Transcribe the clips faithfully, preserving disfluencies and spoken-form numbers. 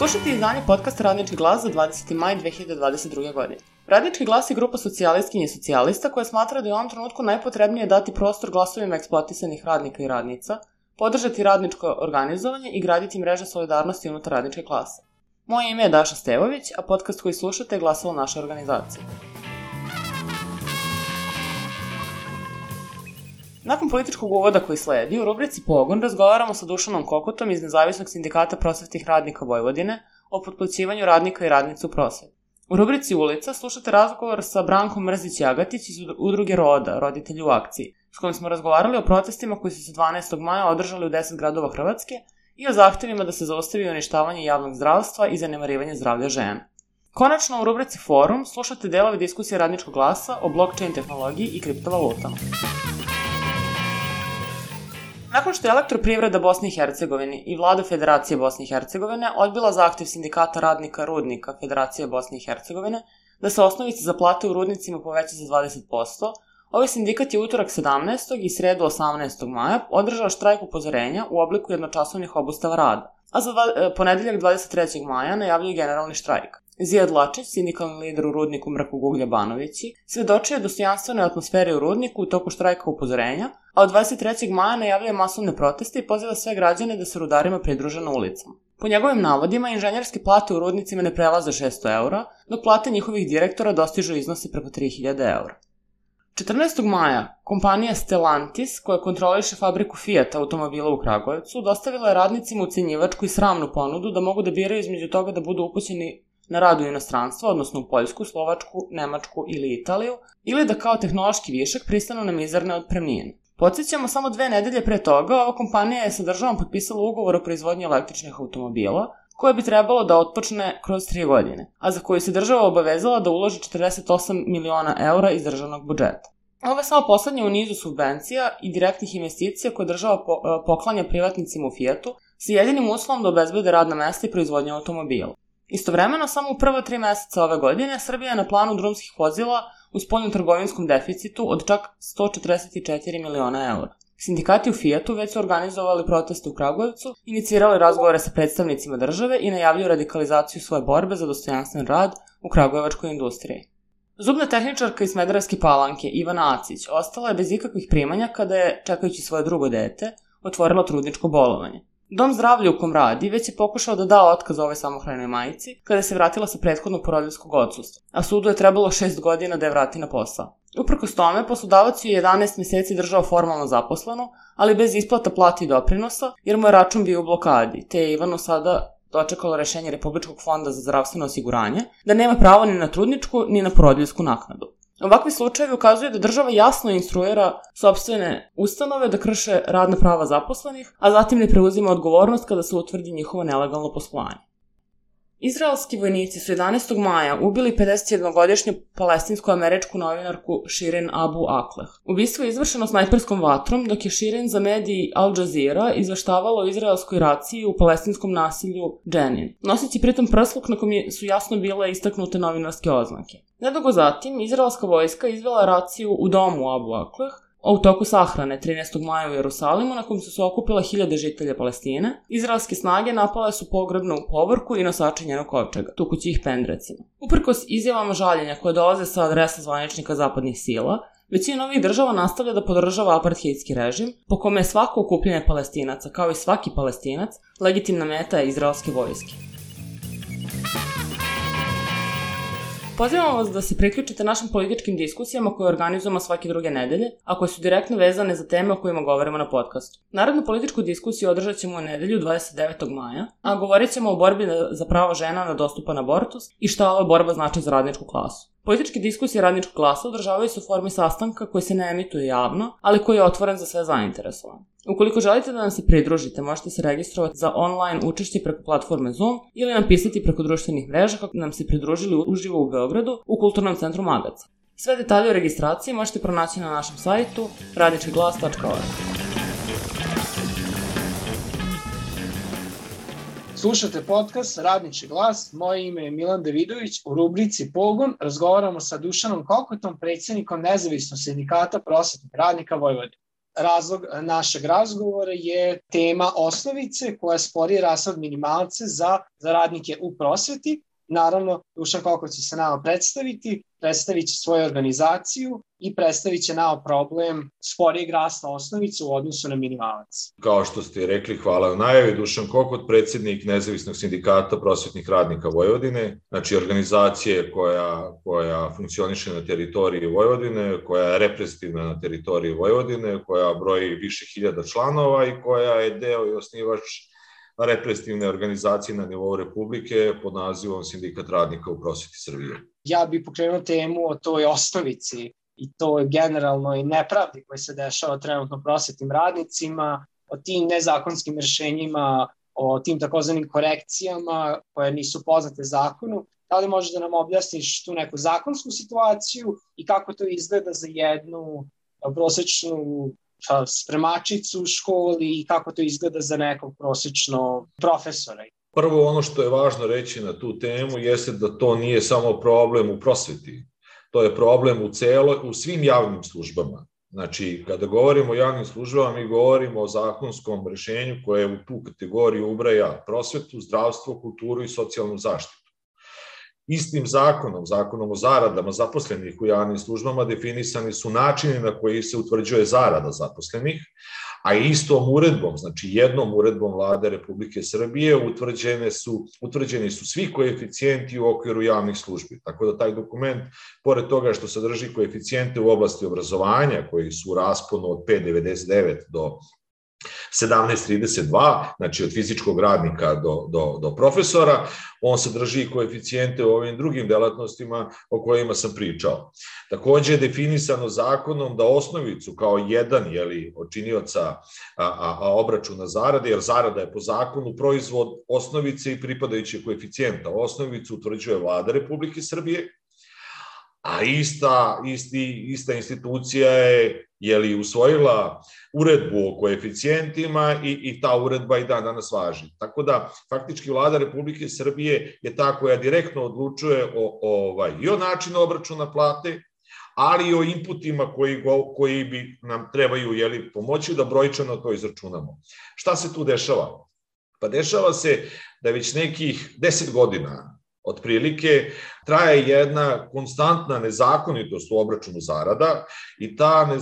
Slušajte izdanje podcasta Radnički glas za dvadeseti maj dve hiljade dvadeset druge. godine. Radnički glas je grupa socijalistkinja i socijalista koja smatra da je u ovom trenutku najpotrebnije dati prostor glasovima eksploatisanih radnika i radnica, podržati radničko organizovanje i graditi mreže solidarnosti unutar radničke klase. Moje ime je Daša Stevović, a podcast koji slušate je glasalo naše organizacije. Nakon političkog uvoda koji sledi, u rubrici Pogon razgovaramo sa Dušanom Kokotom iz Nezavisnog sindikata prosvetnih radnika Vojvodine o potplaćivanju radnika i radnica u prosveti. U rubrici Ulica slušate razgovor sa Brankom Mrzić-Jagatić iz udruge Roda, roditelji u akciji, s kojim smo razgovarali o protestima koji su se dvanaestog maja održali u deset gradova Hrvatske i o zahtevima da se zaustavi uništavanje javnog zdravstva i zanemarivanje zdravlja žena. Konačno, u rubrici Forum slušate delove diskusije Radničkog glasa o blockchain tehnologiji i kriptovalutama. Nakon što je Elektroprivreda Bosne i Hercegovine i Vlada Federacije Bosne i Hercegovine odbila zahtev sindikata radnika Rudnika Federacije Bosne i Hercegovine da se osnovica za plate u rudnicima poveća za dvadeset posto, ovaj sindikat je utorak sedamnaestog i sredu osamnaestog maja održao štrajk upozorenja u obliku jednočasovnih obustava rada, a za dva, ponedeljak dvadeset trećeg maja najavljuje generalni štrajk. Zijad Lačić, sindikalni lider u Rudniku Mrkog uglja Banovići, svedočio je dostojanstvenoj atmosferi u Rudniku u toku štrajka upozorenja, a od dvadeset trećeg maja najavljuje masovne proteste i poziva sve građane da se rudarima pridruže na ulicama. Po njegovim navodima, inženjerske plate u rudnicima ne prelaze šesto eura, dok plate njihovih direktora dostižu iznosi preko tri hiljade eura. četrnaestog maja, kompanija Stellantis, koja kontroliše fabriku Fiat automobila u Kragujevcu, dostavila je radnicima ucenjivačku i sramnu ponudu da mogu da biraju između toga da budu upućeni na rad u inostranstvo, odnosno u Poljsku, Slovačku, Nemačku ili Italiju, ili da kao tehnološki višak pristanu na mizerne otpremnine. Podsjećamo, samo dve nedelje pre toga, ova kompanija je sa državom potpisala ugovor o proizvodnji električnih automobila, koje bi trebalo da otpočne kroz tri godine, a za koju se država obavezala da uloži četrdeset osam miliona eura iz državnog budžeta. Ovo je samo poslednje u nizu subvencija i direktnih investicija koje država poklanja privatnicima u Fiatu, sa jedinim uslovom da obezbede radna mesta i proizvodnju automobila. Istovremeno, samo u prva tri meseca ove godine, Srbija je na planu drumskih vozila u spoljnotrgovinskom deficitu od čak sto četrdeset četiri miliona eura. Sindikati u Fiatu već su organizovali proteste u Kragujevcu, inicirali razgovore sa predstavnicima države i najavljuju radikalizaciju svoje borbe za dostojanstven rad u kragujevačkoj industriji. Zubna tehničarka iz Smederevske Palanke, Ivana Acić, ostala je bez ikakvih primanja kada je, čekajući svoje drugo dete, otvorila trudničko bolovanje. Dom zdravlja u kom radi već je pokušao da da otkaz ovoj samohranoj majici kada se vratila sa prethodnog porodiljskog odsustva, a sudu je trebalo šest godina da je vrati na posao. Uprkos tome, poslodavac ju je jedanaest meseci držao formalno zaposleno, ali bez isplata plati i doprinosa, jer mu je račun bio u blokadi, te je Ivanu sada dočekalo rešenje Republičkog fonda za zdravstveno osiguranje da nema pravo ni na trudničku ni na porodiljsku naknadu. Ovakvi slučajevi ukazuju da država jasno instruira sopstvene ustanove da krše radna prava zaposlenih, a zatim ne preuzima odgovornost kada se utvrdi njihovo nelegalno poslovanje. Izraelski vojnici su jedanaestog maja ubili pedesetjednogodišnju palestinsko-američku novinarku Shirin Abu Akleh. Ubistvo je izvršeno snajperskom vatrom, dok je Shirin za mediji Al Jazeera izveštavalo o izraelskoj raciji u palestinskom nasilju Dženin, noseći pritom prsluk na kom su jasno bile istaknute novinarske oznake. Nedugo zatim, izraelska vojska izvela raciju u domu Abu Akleh, a u toku sahrane trinaestog maja u Jerusalimu, na kom su se okupila hiljade žitelja Palestine, izraelske snage napale su pogrebnu povorku i nosače njenog kovčega, tukući ih pendrecima. Uprkos izjavama žaljenja koje dolaze sa adresa zvaničnika zapadnih sila, većina ovih država nastavlja da podržava apartheidski režim, po kome je svako okupljanje Palestinaca, kao i svaki Palestinac, legitimna meta izraelske vojske. Pozivamo vas da se priključite našim političkim diskusijama koje organizujemo svake druge nedelje, a koje su direktno vezane za teme o kojima govorimo na podcastu. Narodnu političku diskusiju održat ćemo u nedelju dvadeset devetog maja, a govorit ćemo o borbi za pravo žena na dostupan abortus i šta ova borba znači za radničku klasu. Političke diskusije Radničkog glasa održavaju se u formi sastanka koji se ne emituje javno, ali koji je otvoren za sve zainteresovane. Ukoliko želite da nam se pridružite, možete se registrovati za online učešće preko platforme Zoom ili nam pisati preko društvenih mreža kako nam se pridružili uživo u Beogradu u Kulturnom centru Magaca. Sve detalje o registraciji možete pronaći na našem sajtu radnički glas tačka org. Slušate podcast Radnički glas, moje ime je Milan Davidović. U rubrici Pogon razgovaramo sa Dušanom Kokotom, predsjednikom Nezavisnog sindikata prosvetnih radnika Vojvodine. razlog našeg razgovora je tema osnovice koja spori rashod minimalca za, za radnike u prosveti. Naravno, Dušan Kokot će se nama predstaviti, predstavit će svoju organizaciju i predstavit će nama problem sporijeg rasta osnovice u odnosu na minimalac. Kao što ste rekli, hvala u najavi, Dušan Kokot, predsjednik Nezavisnog sindikata prosvetnih radnika Vojvodine, znači organizacije koja, koja funkcioniše na teritoriji Vojvodine, koja je reprezentativna na teritoriji Vojvodine, koja broji više hiljada članova i koja je deo i osnivač reprezentativne organizacije na nivou Republike pod nazivom Sindikat radnika u prosveti Srbije. Ja bih pokrenuo temu o toj osnovici i toj generalnoj nepravdi koja se dešava trenutno prosvetnim radnicima, o tim nezakonskim rešenjima, o tim takozvanim korekcijama koje nisu poznate zakonu. Da li možeš da nam objasniš tu neku zakonsku situaciju i kako to izgleda za jednu prosečnu spremačicu u školi i kako to izgleda za nekog prosječnog profesora? Prvo, ono što je važno reći na tu temu jeste da to nije samo problem u prosveti. To je problem u, celo, u svim javnim službama. Znači, kada govorimo o javnim službama, mi govorimo o zakonskom rešenju koje u tu kategoriju ubraja prosvetu, zdravstvo, kulturu i socijalnu zaštitu. Istim zakonom, zakonom o zaradama zaposlenih u javnim službama definisani su načini na koji se utvrđuje zarada zaposlenih, a istom uredbom, znači jednom uredbom Vlade Republike Srbije utvrđene su, utvrđeni su svi koeficijenti u okviru javnih službi. Tako da taj dokument, pored toga što sadrži koeficijente u oblasti obrazovanja koji su u rasponu od pet zarez devedeset devet do sedamnaest zarez trideset dva, znači od fizičkog radnika do, do, do profesora, on sadrži i koeficijente u ovim drugim delatnostima o kojima sam pričao. Takođe je definisano zakonom da osnovicu kao jedan jeli, od činioca a, a, a obračuna zarade, jer zarada je po zakonu proizvod osnovice i pripadajućeg koeficijenta. Osnovicu utvrđuje Vlada Republike Srbije, a ista, isti, ista institucija je jeli, usvojila uredbu o koeficijentima i, i ta uredba i dan danas važi. Tako da, faktički Vlada Republike Srbije je ta koja direktno odlučuje o, o, ovaj, i o načinu obračuna plate, ali i o inputima koji, go, koji bi nam trebaju jeli, pomoći da brojčano to izračunamo. Šta se tu dešava? Pa dešava se da već nekih deset godina otprilike traje jedna konstantna nezakonitost u obračunu zarada i ta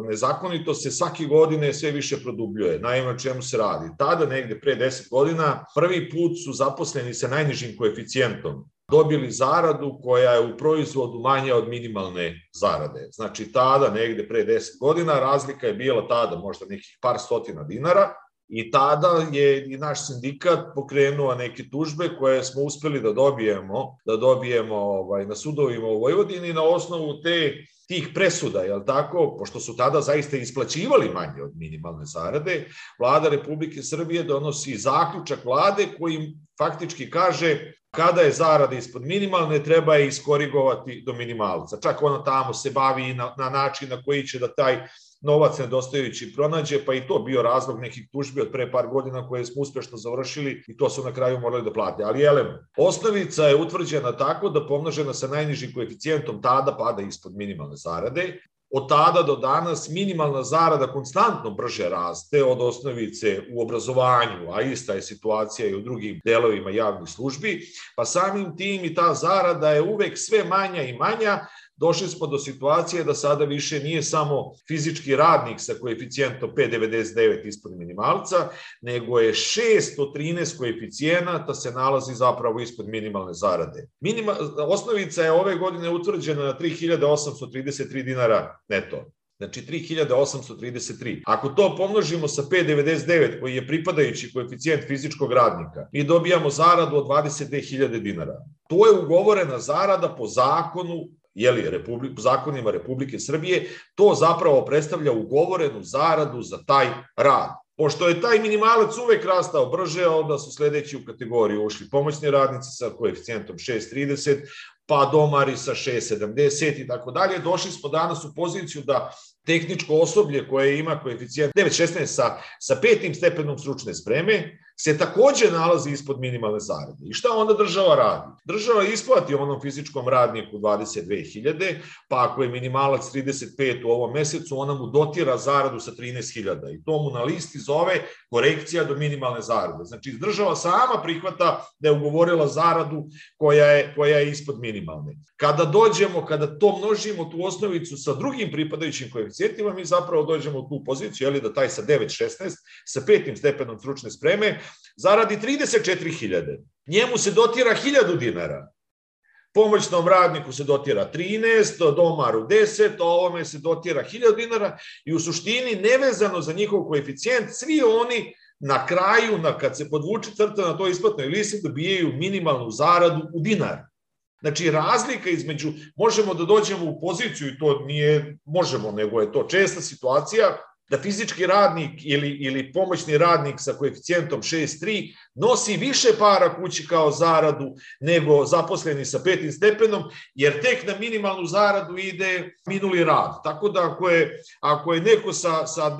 nezakonitost se svake godine sve više produbljuje. Naime, o čemu se radi? Tada, negde pre deset godina, prvi put su zaposleni sa najnižim koeficijentom dobili zaradu koja je u proizvodu manja od minimalne zarade. Znači, tada, negde pre deset godina, razlika je bila tada možda nekih par stotina dinara, i tada je i naš sindikat pokrenuo neke tužbe koje smo uspeli da dobijemo, da dobijemo ovaj, na sudovima u Vojvodini na osnovu te, tih presuda, jel tako, pošto su tada zaista isplaćivali manje od minimalne zarade, Vlada Republike Srbije donosi zaključak Vlade koji faktički kaže kada je zarada ispod minimalne, treba je iskorigovati do minimalca. Čak ona tamo se bavi i na, na način na koji će da taj novac nedostajući pronađe, pa i to bio razlog nekih tužbi od pre par godina koje smo uspešno završili i to su na kraju morali da plate. Ali elem, osnovica je utvrđena tako da pomnožena sa najnižim koeficijentom tada pada ispod minimalne zarade. Od tada do danas minimalna zarada konstantno brže raste od osnovice u obrazovanju, a ista je situacija i u drugim delovima javnih službi, pa samim tim i ta zarada je uvek sve manja i manja. Došli smo do situacije da sada više nije samo fizički radnik sa koeficijentom pet zarez devedeset devet ispod minimalca, nego je šesto trinaest koeficijenata se nalazi zapravo ispod minimalne zarade. Minima, osnovica je ove godine utvrđena na tri hiljade osamsto trideset tri dinara neto. Znači tri hiljade osamsto trideset tri. Ako to pomnožimo sa pet zarez devedeset devet koji je pripadajući koeficijent fizičkog radnika, mi dobijamo zaradu od dvadeset dve hiljade dinara. To je ugovorena zarada po zakonu, jeli, Republik, zakonima Republike Srbije, to zapravo predstavlja ugovorenu zaradu za taj rad. Pošto je taj minimalac uvek rastao brže, onda su sledeći u kategoriju ušli pomoćni radnici sa koeficijentom šest zarez trideset, pa domari sa šest zarez sedamdeset i tako dalje. Došli smo danas u poziciju da tehničko osoblje koje ima koeficijent devet zarez šesnaest sa, sa petim stepenom stručne spreme se takođe nalazi ispod minimalne zarade. I šta onda država radi? Država isplati onom fizičkom radniku dvadeset dve hiljade, pa ako je minimalac trideset pet u ovom mesecu, ona mu dotira zaradu sa trinaest hiljada i to mu na listi zove korekcija do minimalne zarade. Znači, država sama prihvata da je ugovorila zaradu koja je, koja je ispod minimalne. Kada dođemo, kada to množimo, tu osnovicu sa drugim pripadajućim koeficijentima, mi zapravo dođemo u tu poziciju, jeli, da taj sa devet šesnaest, sa petim stepenom stručne spreme, zaradi trideset četiri hiljade. Njemu se dotira hiljadu dinara. Pomoćnom radniku se dotira trinaest, domaru deset, a ovome se dotira hiljadu dinara i u suštini nevezano za njihov koeficijent, svi oni na kraju, na, kad se podvuče crta na toj isplatnoj listi, dobijaju minimalnu zaradu u dinar. Znači, razlika između, možemo da dođemo u poziciju, i to nije možemo, nego je to česta situacija, da fizički radnik ili, ili pomoćni radnik sa koeficijentom šest zarez tri nosi više para kući kao zaradu nego zaposleni sa petim stepenom, jer tek na minimalnu zaradu ide minuli rad. Tako da ako je, ako je neko sa, sa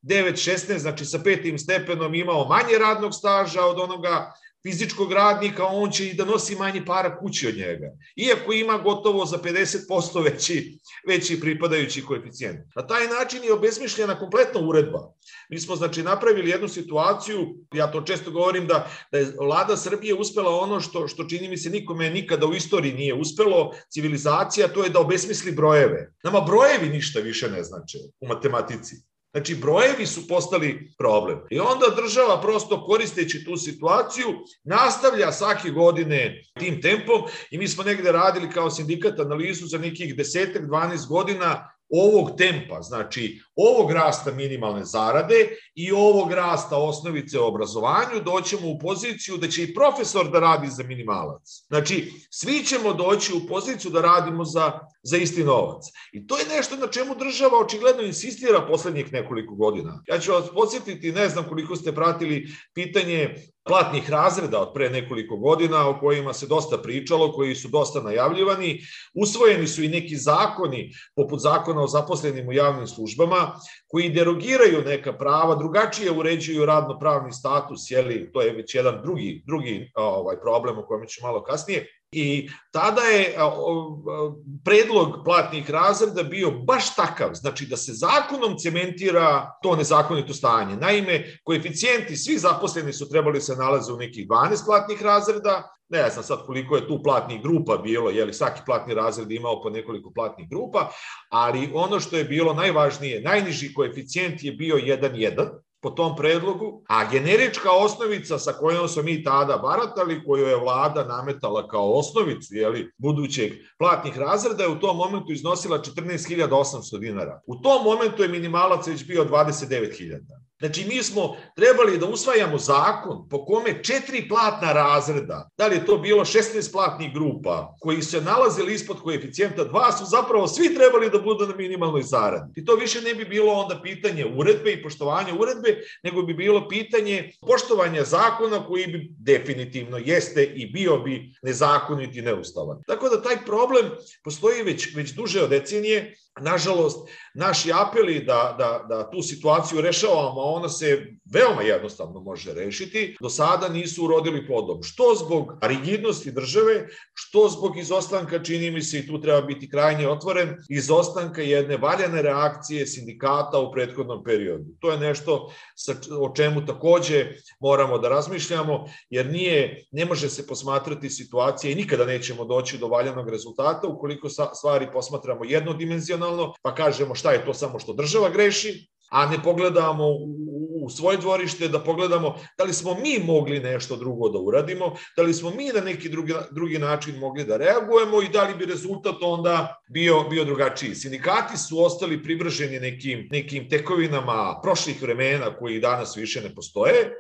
devet šesnaest, znači sa petim stepenom imao manje radnog staža od onoga fizičkog radnika, on će i da nosi manje para kući od njega. Iako ima gotovo za pedeset posto veći, veći pripadajući koeficijent. Na taj način je obesmišljena kompletna uredba. Mi smo, znači, napravili jednu situaciju, ja to često govorim, da, da je vlada Srbije uspela ono što, što čini mi se nikome nikada u istoriji nije uspelo, civilizacija, to je da obesmisli brojeve. Nama brojevi ništa više ne znače u matematici. Znači, brojevi su postali problem. I onda država, prosto koristeći tu situaciju, nastavlja svake godine tim tempom i mi smo negde radili kao sindikat analizu za nekih desetak, dvanaest godina ovog tempa, znači ovog rasta minimalne zarade i ovog rasta osnovice u obrazovanju, doćemo u poziciju da će i profesor da radi za minimalac. Znači, svi ćemo doći u poziciju da radimo za, za isti novac. I to je nešto na čemu država očigledno insistira poslednjih nekoliko godina. Ja ću vas podsjetiti, ne znam koliko ste pratili pitanje platnih razreda od pre nekoliko godina o kojima se dosta pričalo, koji su dosta najavljivani. Usvojeni su i neki zakoni, poput zakona o zaposlenim u javnim službama, koji derogiraju neka prava, drugačije uređuju radno-pravni status, jeli, to je već jedan drugi, drugi ovaj, problem o kojem ću malo kasnije. I tada je predlog platnih razreda bio baš takav, znači da se zakonom cementira to nezakonito stanje. Naime, koeficijenti svi zaposleni su trebali se nalaze u nekih dvanaest platnih razreda, ne znam sad koliko je tu platnih grupa bilo, jeli svaki platni razred imao po nekoliko platnih grupa, ali ono što je bilo najvažnije, najniži koeficijent je bio jedan zarez jedan, po tom predlogu, a generička osnovica sa kojom smo mi tada baratali, koju je vlada nametala kao osnovicu, jeli, budućeg platnih razreda, je u tom momentu iznosila četrnaest hiljada osamsto dinara. U tom momentu je minimalac već bio dvadeset devet hiljada. Znači, mi smo trebali da usvajamo zakon po kome četiri platna razreda, da li je to bilo šesnaest platnih grupa, koji se nalazili ispod koeficijenta dva, su zapravo svi trebali da budu na minimalnoj zaradi. I to više ne bi bilo onda pitanje uredbe i poštovanja uredbe, nego bi bilo pitanje poštovanja zakona koji bi definitivno jeste i bio bi nezakonit i neustavan. Tako da taj problem postoji već, već duže od decenije. Nažalost, naši apeli da, da, da tu situaciju rešavamo, a ona se veoma jednostavno može rešiti, do sada nisu urodili plodom. Što zbog rigidnosti države, što zbog izostanka, čini mi se, i tu treba biti krajnje otvoren, izostanka jedne valjane reakcije sindikata u prethodnom periodu. To je nešto o čemu takođe moramo da razmišljamo, jer nije, ne može se posmatrati situacija i nikada nećemo doći do valjanog rezultata ukoliko stvari posmatramo jednodimenzionalno, pa kažemo šta je to samo što država greši, a ne pogledamo u svoje dvorište, da pogledamo da li smo mi mogli nešto drugo da uradimo, da li smo mi na neki drugi, drugi način mogli da reagujemo i da li bi rezultat onda bio, bio drugačiji. Sindikati su ostali privrženi nekim, nekim tekovinama prošlih vremena koji danas više ne postoje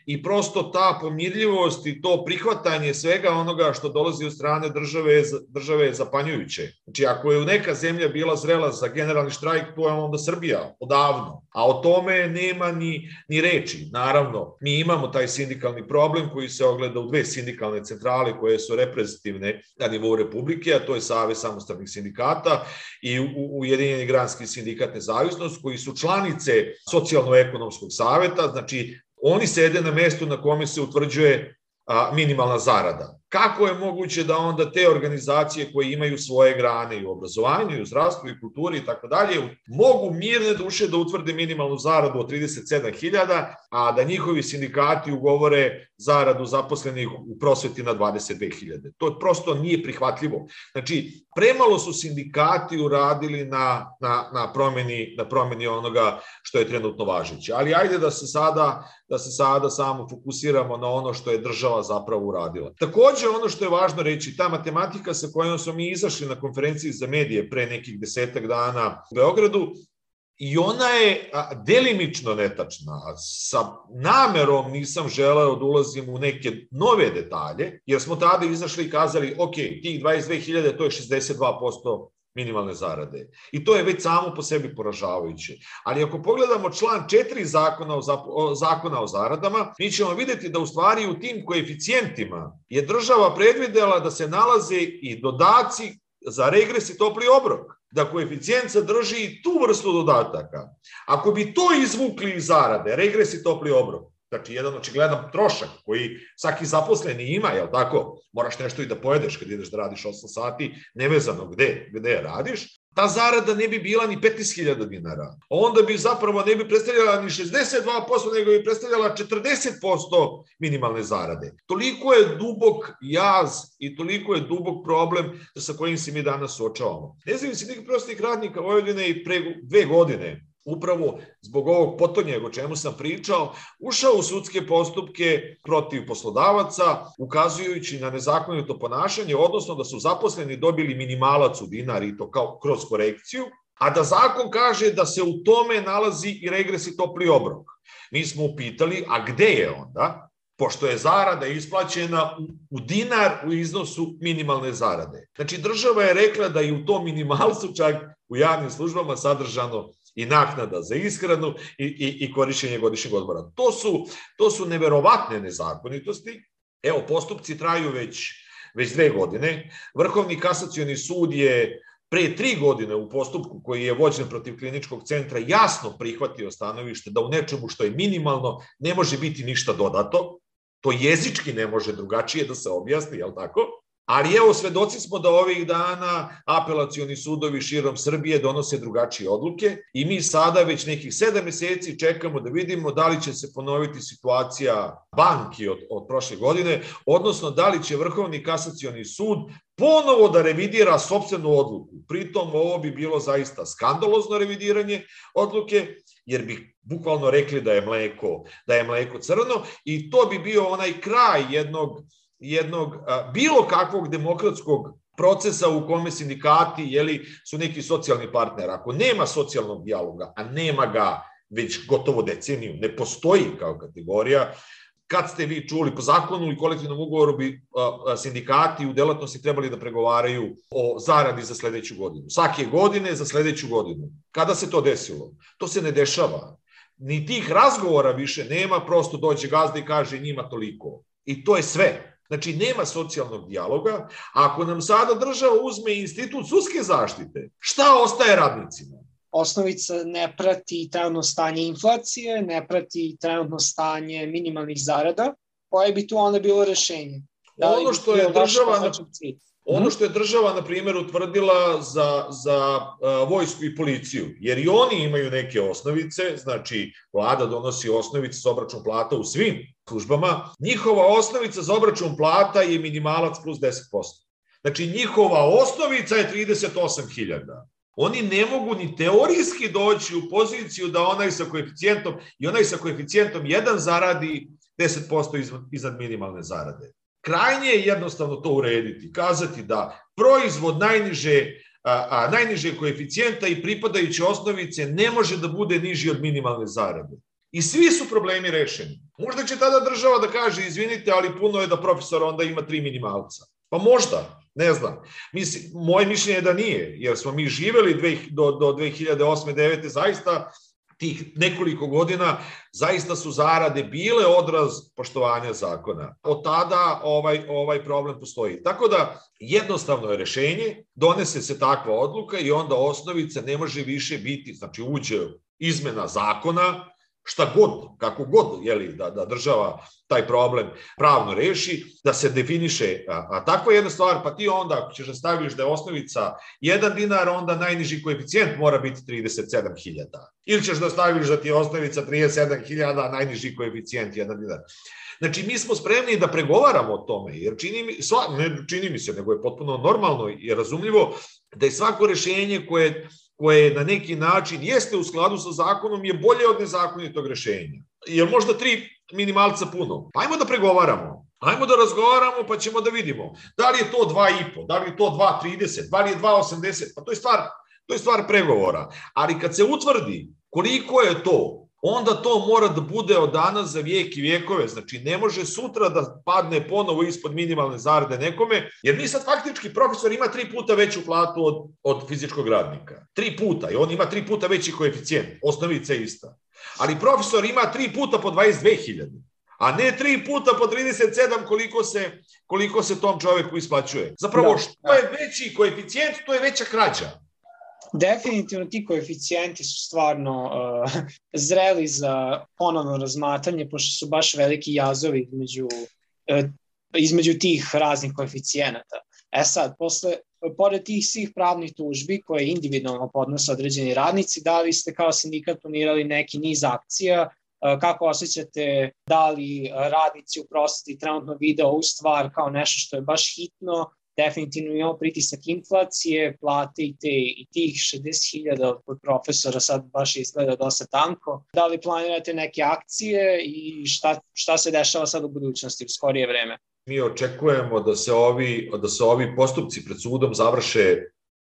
i prosto ta pomirljivost i to prihvatanje svega onoga što dolazi od strane države, države je zapanjujuće. Znači, ako je neka zemlja bila zrela za generalni štrajk, to je onda Srbija, odavno. A o tome nema ni, ni reči. Naravno, mi imamo taj sindikalni problem koji se ogleda u dve sindikalne centrale koje su reprezentativne na nivou Republike, a to je Savez samostalnih sindikata i Ujedinjeni granski sindikat Nezavisnost, koji su članice Socijalno-ekonomskog saveta, znači Oni sede na mestu na kome se utvrđuje a, minimalna zarada. Kako je moguće da onda te organizacije koje imaju svoje grane i u obrazovanju, i u zdravstvu, i kulturi i tako dalje, mogu mirne duše da utvrde minimalnu zaradu od trideset sedam hiljada, a da njihovi sindikati ugovore zaradu zaposlenih u prosveti na dvadeset dve hiljade. To prosto nije prihvatljivo. Znači, premalo su sindikati uradili na, na, na, promeni, na promeni onoga što je trenutno važeće. Ali ajde da se sada, da se sada samo fokusiramo na ono što je država zapravo uradila. Takođe, ono što je važno reći, ta matematika sa kojom smo mi izašli na konferenciji za medije pre nekih desetak dana u Beogradu, i ona je delimično netačna. Sa namerom nisam želeo da ulazim u neke nove detalje, jer smo tada izašli i kazali, ok, tih dvadeset dve hiljade, to je šezdeset dva posto minimalne zarade. I to je već samo po sebi poražavajuće. Ali ako pogledamo član četiri zakona o, zakona o zaradama, mi ćemo videti da u stvari u tim koeficijentima je država predvidela da se nalaze i dodaci za regres i topli obrok, da koeficijent sadrži i tu vrstu dodataka. Ako bi to izvukli iz zarade, regres i topli obrok, znači jedan očigledan trošak koji svaki zaposleni ima, jel tako, moraš nešto i da pojedeš kad ideš da radiš osam sati, nevezano gde, gde radiš, ta zarada ne bi bila ni petnaest hiljada dinara. Onda bi zapravo ne bi predstavljala ni šezdeset dva posto, nego bi predstavljala četrdeset posto minimalne zarade. Toliko je dubok jaz i toliko je dubok problem sa kojim se mi danas suočavamo. Nezavisni sindikat prosvetnih radnika Vojvodine i pre dve godine, upravo zbog ovog potonjega o čemu sam pričao, ušao u sudske postupke protiv poslodavaca, ukazujući na nezakonito ponašanje, odnosno da su zaposleni dobili minimalac u dinar i to kao kroz korekciju, a da zakon kaže da se u tome nalazi i regres i topli obrok. Mi smo upitali, a gde je onda? Pošto je zarada isplaćena u dinar u iznosu minimalne zarade. Znači, država je rekla da i u tom minimalcu čak u javnim službama sadržano i naknada za ishranu i, i, i korišćenje godišnjeg odmora. To su, to su neverovatne nezakonitosti. Evo, postupci traju već, već dve godine. Vrhovni kasacioni sud je pre tri godine u postupku koji je vođen protiv kliničkog centra jasno prihvatio stanovište da u nečemu što je minimalno ne može biti ništa dodato. To jezički ne može drugačije da se objasni, jel tako? Ali evo, svedoci smo da ovih dana apelacioni sudovi širom Srbije donose drugačije odluke i mi sada već nekih sedam meseci čekamo da vidimo da li će se ponoviti situacija banki od, od prošle godine, odnosno da li će Vrhovni kasacioni sud ponovo da revidira sopstvenu odluku. Pritom ovo bi bilo zaista skandalozno revidiranje odluke, jer bi bukvalno rekli da je mleko, da je mleko crno i to bi bio onaj kraj jednog jednog a, bilo kakvog demokratskog procesa u kome sindikati jeli, su neki socijalni partner. Ako nema socijalnog dijaloga, a nema ga već gotovo deceniju, ne postoji kao kategorija, kad ste vi čuli po zakonu i kolektivnom ugovoru bi a, a, sindikati u delatnosti trebali da pregovaraju o zaradi za sledeću godinu. Svake godine za sledeću godinu. Kada se to desilo? To se ne dešava. Ni tih razgovora više nema, prosto dođe gazda i kaže njima toliko. I to je sve. Znači, nema socijalnog dijaloga, a ako nam sada država uzme institut sudske zaštite, šta ostaje radnicima? Osnovica ne prati trenutno stanje inflacije, ne prati trenutno stanje minimalnih zarada, koje bi tu onda bilo rešenje? Da ono što je država... Na... Ono što je država, na primjer, utvrdila za, za uh, vojsku i policiju, jer i oni imaju neke osnovice, znači vlada donosi osnovice za obračun plata u svim službama, njihova osnovica za obračun plata je minimalac plus deset posto. Znači njihova osnovica je trideset osam hiljada. Oni ne mogu ni teorijski doći u poziciju da onaj sa koeficijentom i onaj sa koeficijentom jedan zaradi deset posto iznad minimalne zarade. Krajnje je jednostavno to urediti, kazati da proizvod najniže, a, a, najniže koeficijenta i pripadajuće osnovice ne može da bude niži od minimalne zarade. I svi su problemi rešeni. Možda će tada država da kaže, izvinite, ali puno je da profesor onda ima tri minimalca. Pa možda, ne znam. Mislim, moje mišljenje je da nije, jer smo mi živeli dve, do, do dve hiljade osme devete zaista tih nekoliko godina, zaista su zarade bile odraz poštovanja zakona. Od tada ovaj, ovaj problem postoji. Tako da jednostavno je rešenje, donese se takva odluka i onda osnovica ne može više biti, znači uđe izmena zakona, šta god, kako god, jeli, da, da država taj problem pravno reši, da se definiše a, a takva jedna stvar, pa ti onda ako ćeš da staviš da je osnovica jedan dinar, onda najniži koeficijent mora biti trideset sedam hiljada. Ili ćeš da staviš da ti je osnovica trideset sedam hiljada, a najniži koeficijent jedan dinar. Znači, mi smo spremni da pregovaramo o tome, jer čini mi, sva, ne čini mi se, nego je potpuno normalno i razumljivo da je svako rešenje koje, koje na neki način jeste u skladu sa zakonom je bolje od nezakonitog rešenja. Jer možda tri minimalca puno. Ajmo da pregovaramo. Ajmo da razgovaramo pa ćemo da vidimo. Da li je to dva i po, da li je to dva trideset, da li je dva osamdeset, pa to je stvar, to je stvar pregovora. Ali kad se utvrdi koliko je to, onda to mora da bude od danas za vijek i vijekove. Znači, ne može sutra da padne ponovo ispod minimalne zarade nekome, jer mi sad faktički profesor ima tri puta veću platu od, od fizičkog radnika. Tri puta. I on ima tri puta veći koeficijent. Osnovica je ista. Ali profesor ima tri puta po dvadeset dve hiljade. A ne tri puta po trideset sedam koliko se, koliko se tom čoveku isplaćuje. Zapravo, da, što je veći koeficijent, to je veća krađa. Definitivno ti koeficijenti su stvarno uh, zreli za ponovno razmatranje, pošto su baš veliki jazovi između, uh, između tih raznih koeficijenata. E sad, posle, pored tih svih pravnih tužbi koje individualno podnose određeni radnici, da li ste kao sindikat planirali neki niz akcija, uh, kako osjećate, da li radnici u prosveti trenutno vide ovu stvar kao nešto što je baš hitno? Definitivno imamo pritisak inflacije, plate i, te, i tih šezdeset hiljada od profesora sad baš izgleda dosta tanko. Da li planirate neke akcije i šta, šta se dešava sad u budućnosti u skorije vreme? Mi očekujemo da se ovi, da se ovi postupci pred sudom završe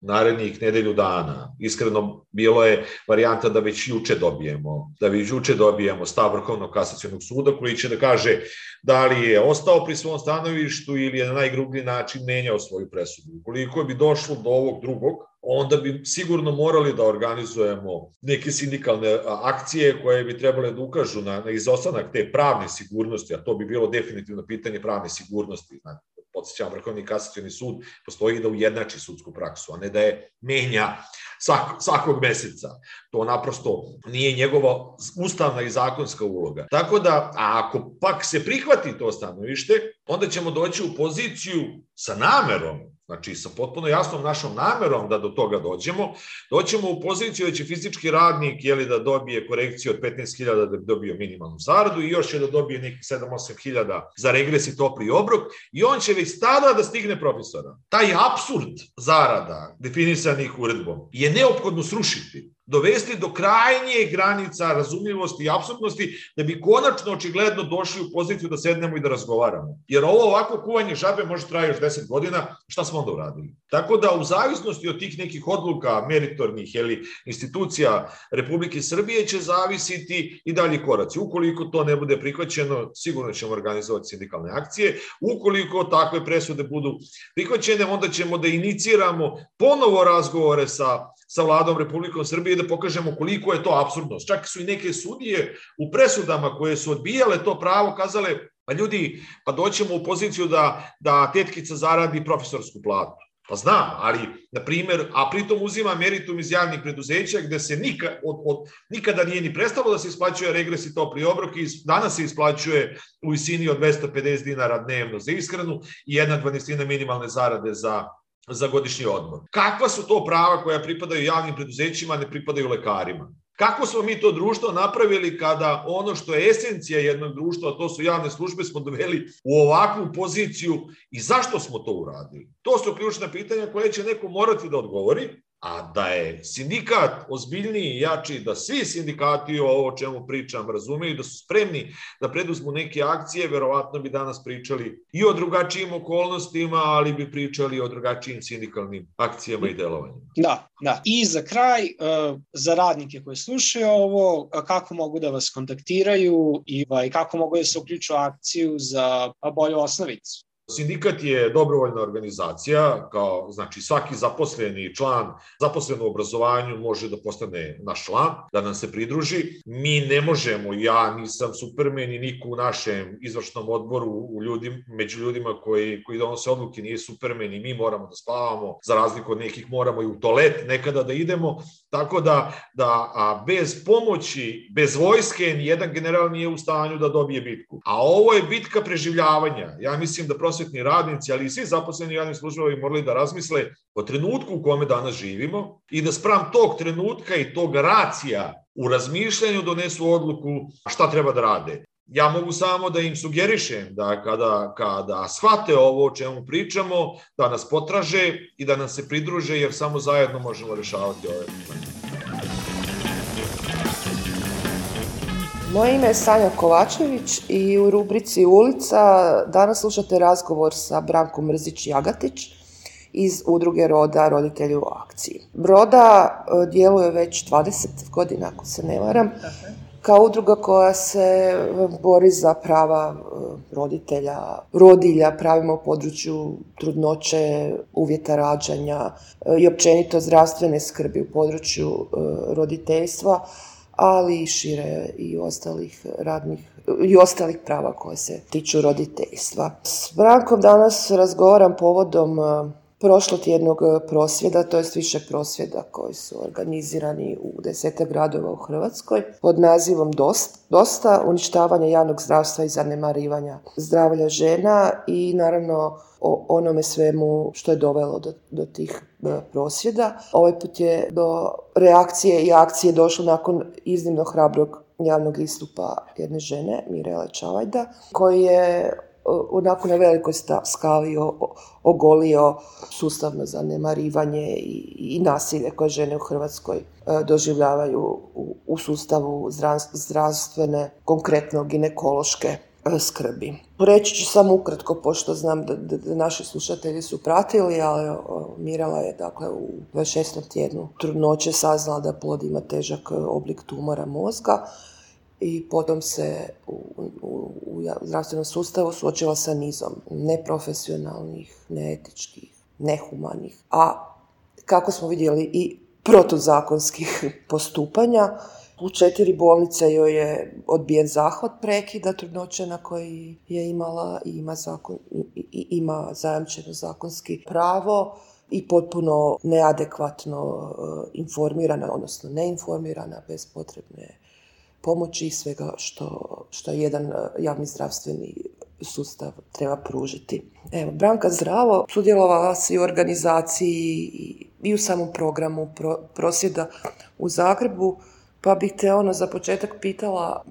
narednih nedelju dana. Iskreno, bilo je varijanta da već juče dobijemo, da već juče dobijemo stav Vrhovnog kasacionog suda koji će da kaže da li je ostao pri svom stanovištu ili je na najgrublji način menjao svoju presudu. Ukoliko bi došlo do ovog drugog, onda bi sigurno morali da organizujemo neke sindikalne akcije koje bi trebale da ukažu na, na izostanak te pravne sigurnosti, a to bi bilo definitivno pitanje pravne sigurnosti. Znači, podsjećam, Vrhovni kasacioni sud postoji da ujednači sudsku praksu, a ne da je menja svak, svakog meseca. To naprosto nije njegova ustavna i zakonska uloga. Tako da, a ako pak se prihvati to stanovište, onda ćemo doći u poziciju sa namerom, znači sa potpuno jasnom našom namerom da do toga dođemo, doćemo u poziciju da će fizički radnik jeli, da dobije korekciju od petnaest hiljada da bi dobio minimalnu zaradu i još će da dobije nekih sedam do osam hiljada za regres i topli obrok i on će već tada da stigne profesora. Taj apsurd zarada definisanih uredbom je neophodno srušiti, dovesti do krajnje granica razumljivosti i apsurdnosti da bi konačno očigledno došli u poziciju da sednemo i da razgovaramo. Jer ovo ovako kuvanje žabe može traje još deset godina, šta smo onda uradili? Tako da u zavisnosti od tih nekih odluka meritornih ili institucija Republike Srbije će zavisiti i dalji koraci. Ukoliko to ne bude prihvaćeno, sigurno ćemo organizovati sindikalne akcije. Ukoliko takve presude budu prihvaćene, onda ćemo da iniciramo ponovo razgovore sa, sa vladom Republike Srbije da pokažemo koliko je to apsurdnost. Čak su i neke sudije u presudama koje su odbijale to pravo kazale, pa ljudi, pa doćemo u poziciju da, da tetkica zaradi profesorsku platu. Pa znam, ali, na primjer, a pritom uzima meritum iz javnih preduzeća gde se nikad, od, od, nikada nije ni prestalo da se isplaćuje regres i topli obrok i danas se isplaćuje u visini od dvesta pedeset dinara dnevno za ishranu i jedna dvanaestina minimalne zarade za za godišnji odmor. Kakva su to prava koja pripadaju javnim preduzećima, a ne pripadaju lekarima? Kako smo mi to društvo napravili kada ono što je esencija jednog društva, a to su javne službe, smo doveli u ovakvu poziciju i zašto smo to uradili? To su ključna pitanja koje će neko morati da odgovori, a da je sindikat ozbiljniji i jači, da svi sindikati o ovo čemu pričam razumeju, da su spremni da preduzmu neke akcije, verovatno bi danas pričali i o drugačijim okolnostima, ali bi pričali o drugačijim sindikalnim akcijama i delovanjima. Da, da. I za kraj, za radnike koji slušaju ovo, kako mogu da vas kontaktiraju i kako mogu da se uključu u akciju za bolju osnovicu? Sindikat je dobrovoljna organizacija, kao znači svaki zaposleni član, zaposlen u obrazovanju može da postane naš član, da nam se pridruži. Mi ne možemo, ja nisam Superman i niko u našem izvršnom odboru u ljudi, među ljudima koji, koji donose odluke nije Superman i mi moramo da spavamo, za razliku od nekih moramo i u toalet nekada da idemo, tako da, da a bez pomoći, bez vojske, nijedan general nije u stanju da dobije bitku. A ovo je bitka preživljavanja. Ja mislim da prosvetni radnici, ali i svi zaposleni javnim službama bi morali da razmisle o trenutku u kome danas živimo i da spram tog trenutka i tog racija u razmišljanju donesu odluku šta treba da rade. Ja mogu samo da im sugerišem da kada, kada shvate ovo o čemu pričamo, da nas potraže i da nam se pridruže, jer samo zajedno možemo rešavati ove probleme. Moje ime je Sanja Kovačević i u rubrici Ulica danas slušate razgovor sa Brankom Mrzić-Jagatić iz udruge Roda, roditelji u akciji. Roda djeluje već dvadeset godina, ako se ne varam, kao udruga koja se bori za prava roditelja, rodilja, pravima u području trudnoće, uvjeta rađanja i općenito zdravstvene skrbi u području roditeljstva, ali i šire i ostalih radnih i ostalih prava koje se tiču roditeljstva. S Brankom danas razgovaram povodom prošlotjednog prosvjeda, to jest više prosvjeda koji su organizirani u desetak gradova u Hrvatskoj pod nazivom Dosta, uništavanja javnog zdravstva i zanemarivanja zdravlja žena i naravno o onome svemu što je dovelo do, do tih prosvjeda. Ovaj put je do reakcije i akcije došlo nakon iznimno hrabrog javnog istupa jedne žene, Mirele Čavajda, koji je onako na velikoj skali ogolio sustavno zanemarivanje i, i nasilje koje žene u Hrvatskoj doživljavaju u, u sustavu zdravstvene, konkretno ginekološke skrbi. Reći ću samo ukratko, pošto znam da, da, da naši slušatelji su pratili, ali Mirela je dakle u dvadeset šestom tjednu trudnoće saznala da plod ima težak oblik tumora mozga i potom se u, u, u zdravstvenom sustavu suočila sa nizom neprofesionalnih, neetičkih, nehumanih, a kako smo vidjeli i protuzakonskih postupanja. U četiri bolnice joj je odbijen zahvat prekida trudnoće na koji je imala i ima, zakon, i, i ima zajamčeno zakonski pravo i potpuno neadekvatno uh, informirana, odnosno neinformirana, bez potrebne pomoći i svega što, što jedan javni zdravstveni sustav treba pružiti. Evo, Branka, zdravo. Sudjelovala si u organizaciji i, i u samom programu pro, prosvjeda u Zagrebu, pa bih te ono za početak pitala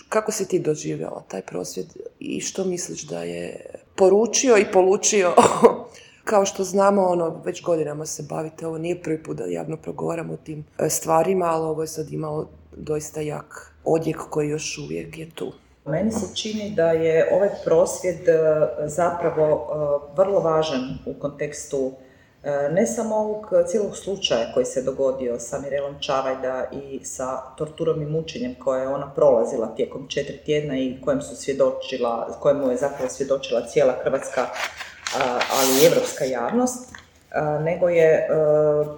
kako si ti doživjela taj prosvjed i što misliš da je poručio i polučio. Kao što znamo, ono, već godinama se bavite, ovo nije prvi put da javno progovaramo o tim stvarima, ali ovo je sad imalo doista jak odjek koji još uvijek je tu. Meni se čini da je ovaj prosvjed zapravo vrlo važan u kontekstu ne samo ovog cijelog slučaja koji se dogodio sa Mirelom Čavajda i sa torturom i mučenjem koje je ona prolazila tijekom četiri tjedna i kojem su svjedočila, kojemu je zapravo svjedočila cijela hrvatska, ali i evropska javnost, nego je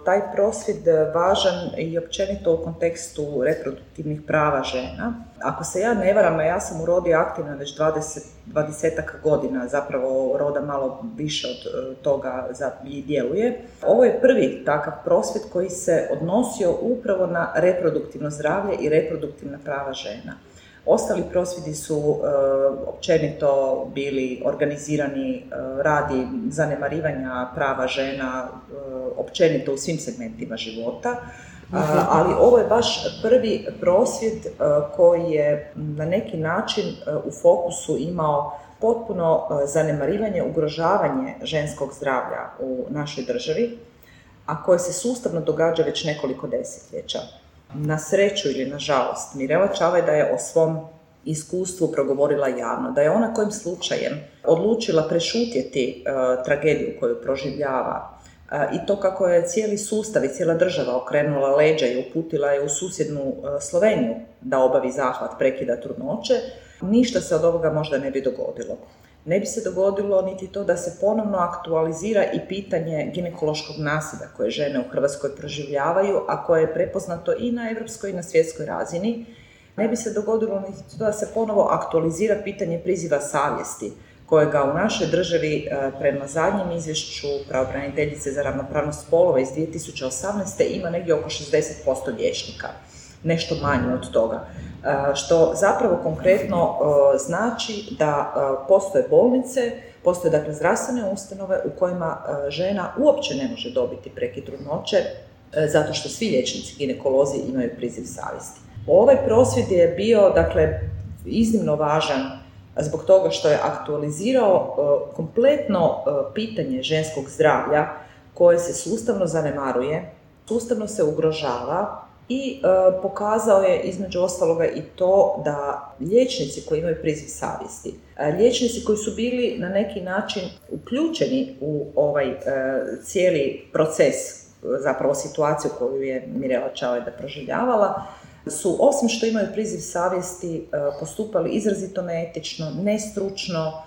taj prosvjed važan i općenito u kontekstu reproduktivnih prava žena. Ako se ja ne varam, a ja sam u Rodi aktivna već dvadeset, dvadesetak godina, zapravo Roda malo više od toga i djeluje. Ovo je prvi takav prosvjed koji se odnosio upravo na reproduktivno zdravlje i reproduktivna prava žena. Ostali prosvjedi su uh, općenito bili organizirani uh, radi zanemarivanja prava žena uh, općenito u svim segmentima života, uh, ali ovo je baš prvi prosvjed uh, koji je na neki način uh, u fokusu imao potpuno uh, zanemarivanje, ugrožavanje ženskog zdravlja u našoj državi, a koje se sustavno događa već nekoliko desetljeća. Na sreću ili na žalost, Mirela Čavajda je o svom iskustvu progovorila javno, da je ona kojim slučajem odlučila prešutjeti uh, tragediju koju proživljava uh, i to kako je cijeli sustav i cijela država okrenula leđa i uputila je u susjednu uh, Sloveniju da obavi zahvat prekida trudnoće, ništa se od ovoga možda ne bi dogodilo. ne bi se dogodilo niti to da se ponovno aktualizira i pitanje ginekološkog nasilja koje žene u Hrvatskoj proživljavaju, a koje je prepoznato i na europskoj i na svjetskoj razini. Ne bi se dogodilo niti to da se ponovo aktualizira pitanje priziva savjesti, kojega u našoj državi prema zadnjem izvješću pravobraniteljice za ravnopravnost spolova iz dvije tisuće osamnaeste. ima negdje oko šezdeset posto liječnika, nešto manje od toga. Što zapravo konkretno znači da postoje bolnice, postoje dakle zdravstvene ustanove u kojima žena uopće ne može dobiti prekid trudnoće zato što svi liječnici ginekolozi imaju priziv savjesti. Ovaj prosvjed je bio dakle iznimno važan zbog toga što je aktualizirao kompletno pitanje ženskog zdravlja koje se sustavno zanemaruje, sustavno se ugrožava i e, pokazao je između ostaloga i to da liječnici koji imaju priziv savjesti, liječnici koji su bili na neki način uključeni u ovaj e, cijeli proces, zapravo situaciju koju je Mirela Čavajda proživljavala, su osim što imaju priziv savjesti e, postupali izrazito neetično, nestručno,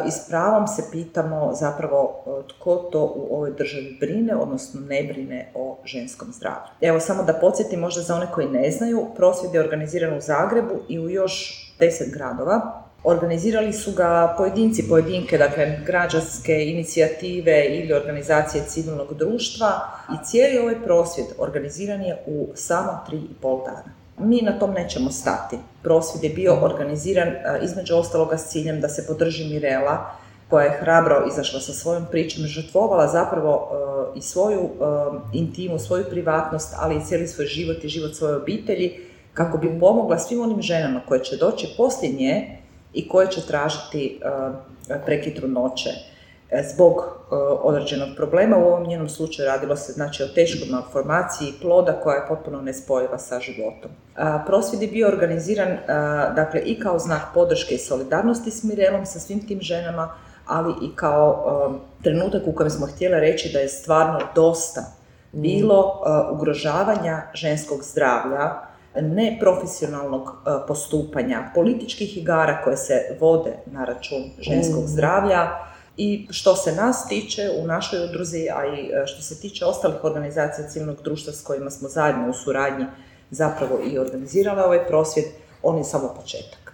i s pravom se pitamo zapravo tko to u ovoj državi brine, odnosno ne brine o ženskom zdravlju. Evo samo da podsjetim možda za one koji ne znaju, prosvjed je organiziran u Zagrebu i u još deset gradova. Organizirali su ga pojedinci, pojedinke, dakle građanske inicijative ili organizacije civilnog društva i cijeli ovaj prosvjed organiziran je u samo tri i pol dana. Mi na tom nećemo stati. Prosvjed je bio organiziran između ostaloga s ciljem da se podrži Mirela, koja je hrabro izašla sa svojom pričom, žrtvovala zapravo uh, i svoju uh, intimu, svoju privatnost, ali i cijeli svoj život i život svoje obitelji, kako bi pomogla svim onim ženama koje će doći poslije nje i koje će tražiti uh, prekid trudnoće zbog uh, određenog problema. U ovom njenom slučaju radilo se znači o teškoj malformaciji ploda koja je potpuno nespojiva sa životom. Uh, prosvjed je bio organiziran uh, dakle i kao znak podrške i solidarnosti s Mirelom, sa svim tim ženama, ali i kao um, trenutak u kojem smo htjeli reći da je stvarno dosta bilo uh, ugrožavanja ženskog zdravlja, neprofesionalnog uh, postupanja, političkih igara koje se vode na račun ženskog zdravlja. I što se nas tiče u našoj udruzi, a i što se tiče ostalih organizacija civilnog društva s kojima smo zajedno u suradnji zapravo i organizirali ovaj prosvjed, on je samo početak.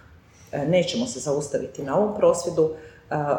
Nećemo se zaustaviti na ovom prosvjedu,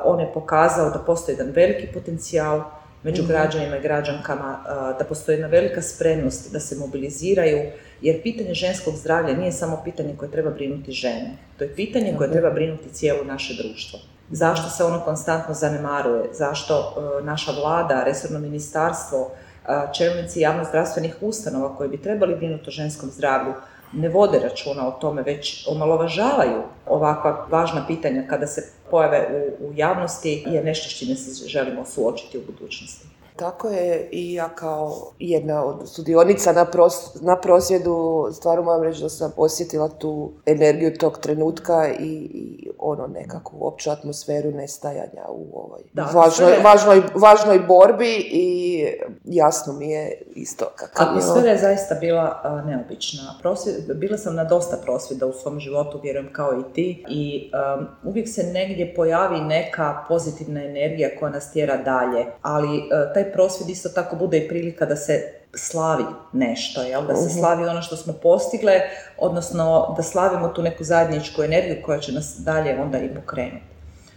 on je pokazao da postoji jedan veliki potencijal među građanima i građankama, da postoji jedna velika spremnost da se mobiliziraju, jer pitanje ženskog zdravlja nije samo pitanje koje treba brinuti žene, to je pitanje koje treba brinuti cijelo naše društvo. Zašto se ono konstantno zanemaruje, zašto e, naša vlada, resorno ministarstvo, e, čelnici javno-zdravstvenih ustanova koji bi trebali brinuti o ženskom zdravlju ne vode računa o tome, već omalovažavaju ovakva važna pitanja kada se pojave u, u javnosti, je nešto s čime se želimo suočiti u budućnosti. Tako je, i ja kao jedna od sudionica na, pros, na prosvjedu stvarno moram reći da sam osjetila tu energiju tog trenutka i, i ono nekakvu opću atmosferu nestajanja u ovoj da, važnoj, je... važnoj, važnoj borbi i jasno mi je isto kakav je. Atmosfera je zaista bila uh, neobična. Prosvjed, bila sam na dosta prosvjeda u svom životu, vjerujem kao i ti, i um, uvijek se negdje pojavi neka pozitivna energija koja nas tjera dalje, ali uh, taj prosvjed isto tako bude i prilika da se slavi nešto, jel? Da se slavi ono što smo postigle, odnosno da slavimo tu neku zajedničku energiju koja će nas dalje onda i pokrenuti.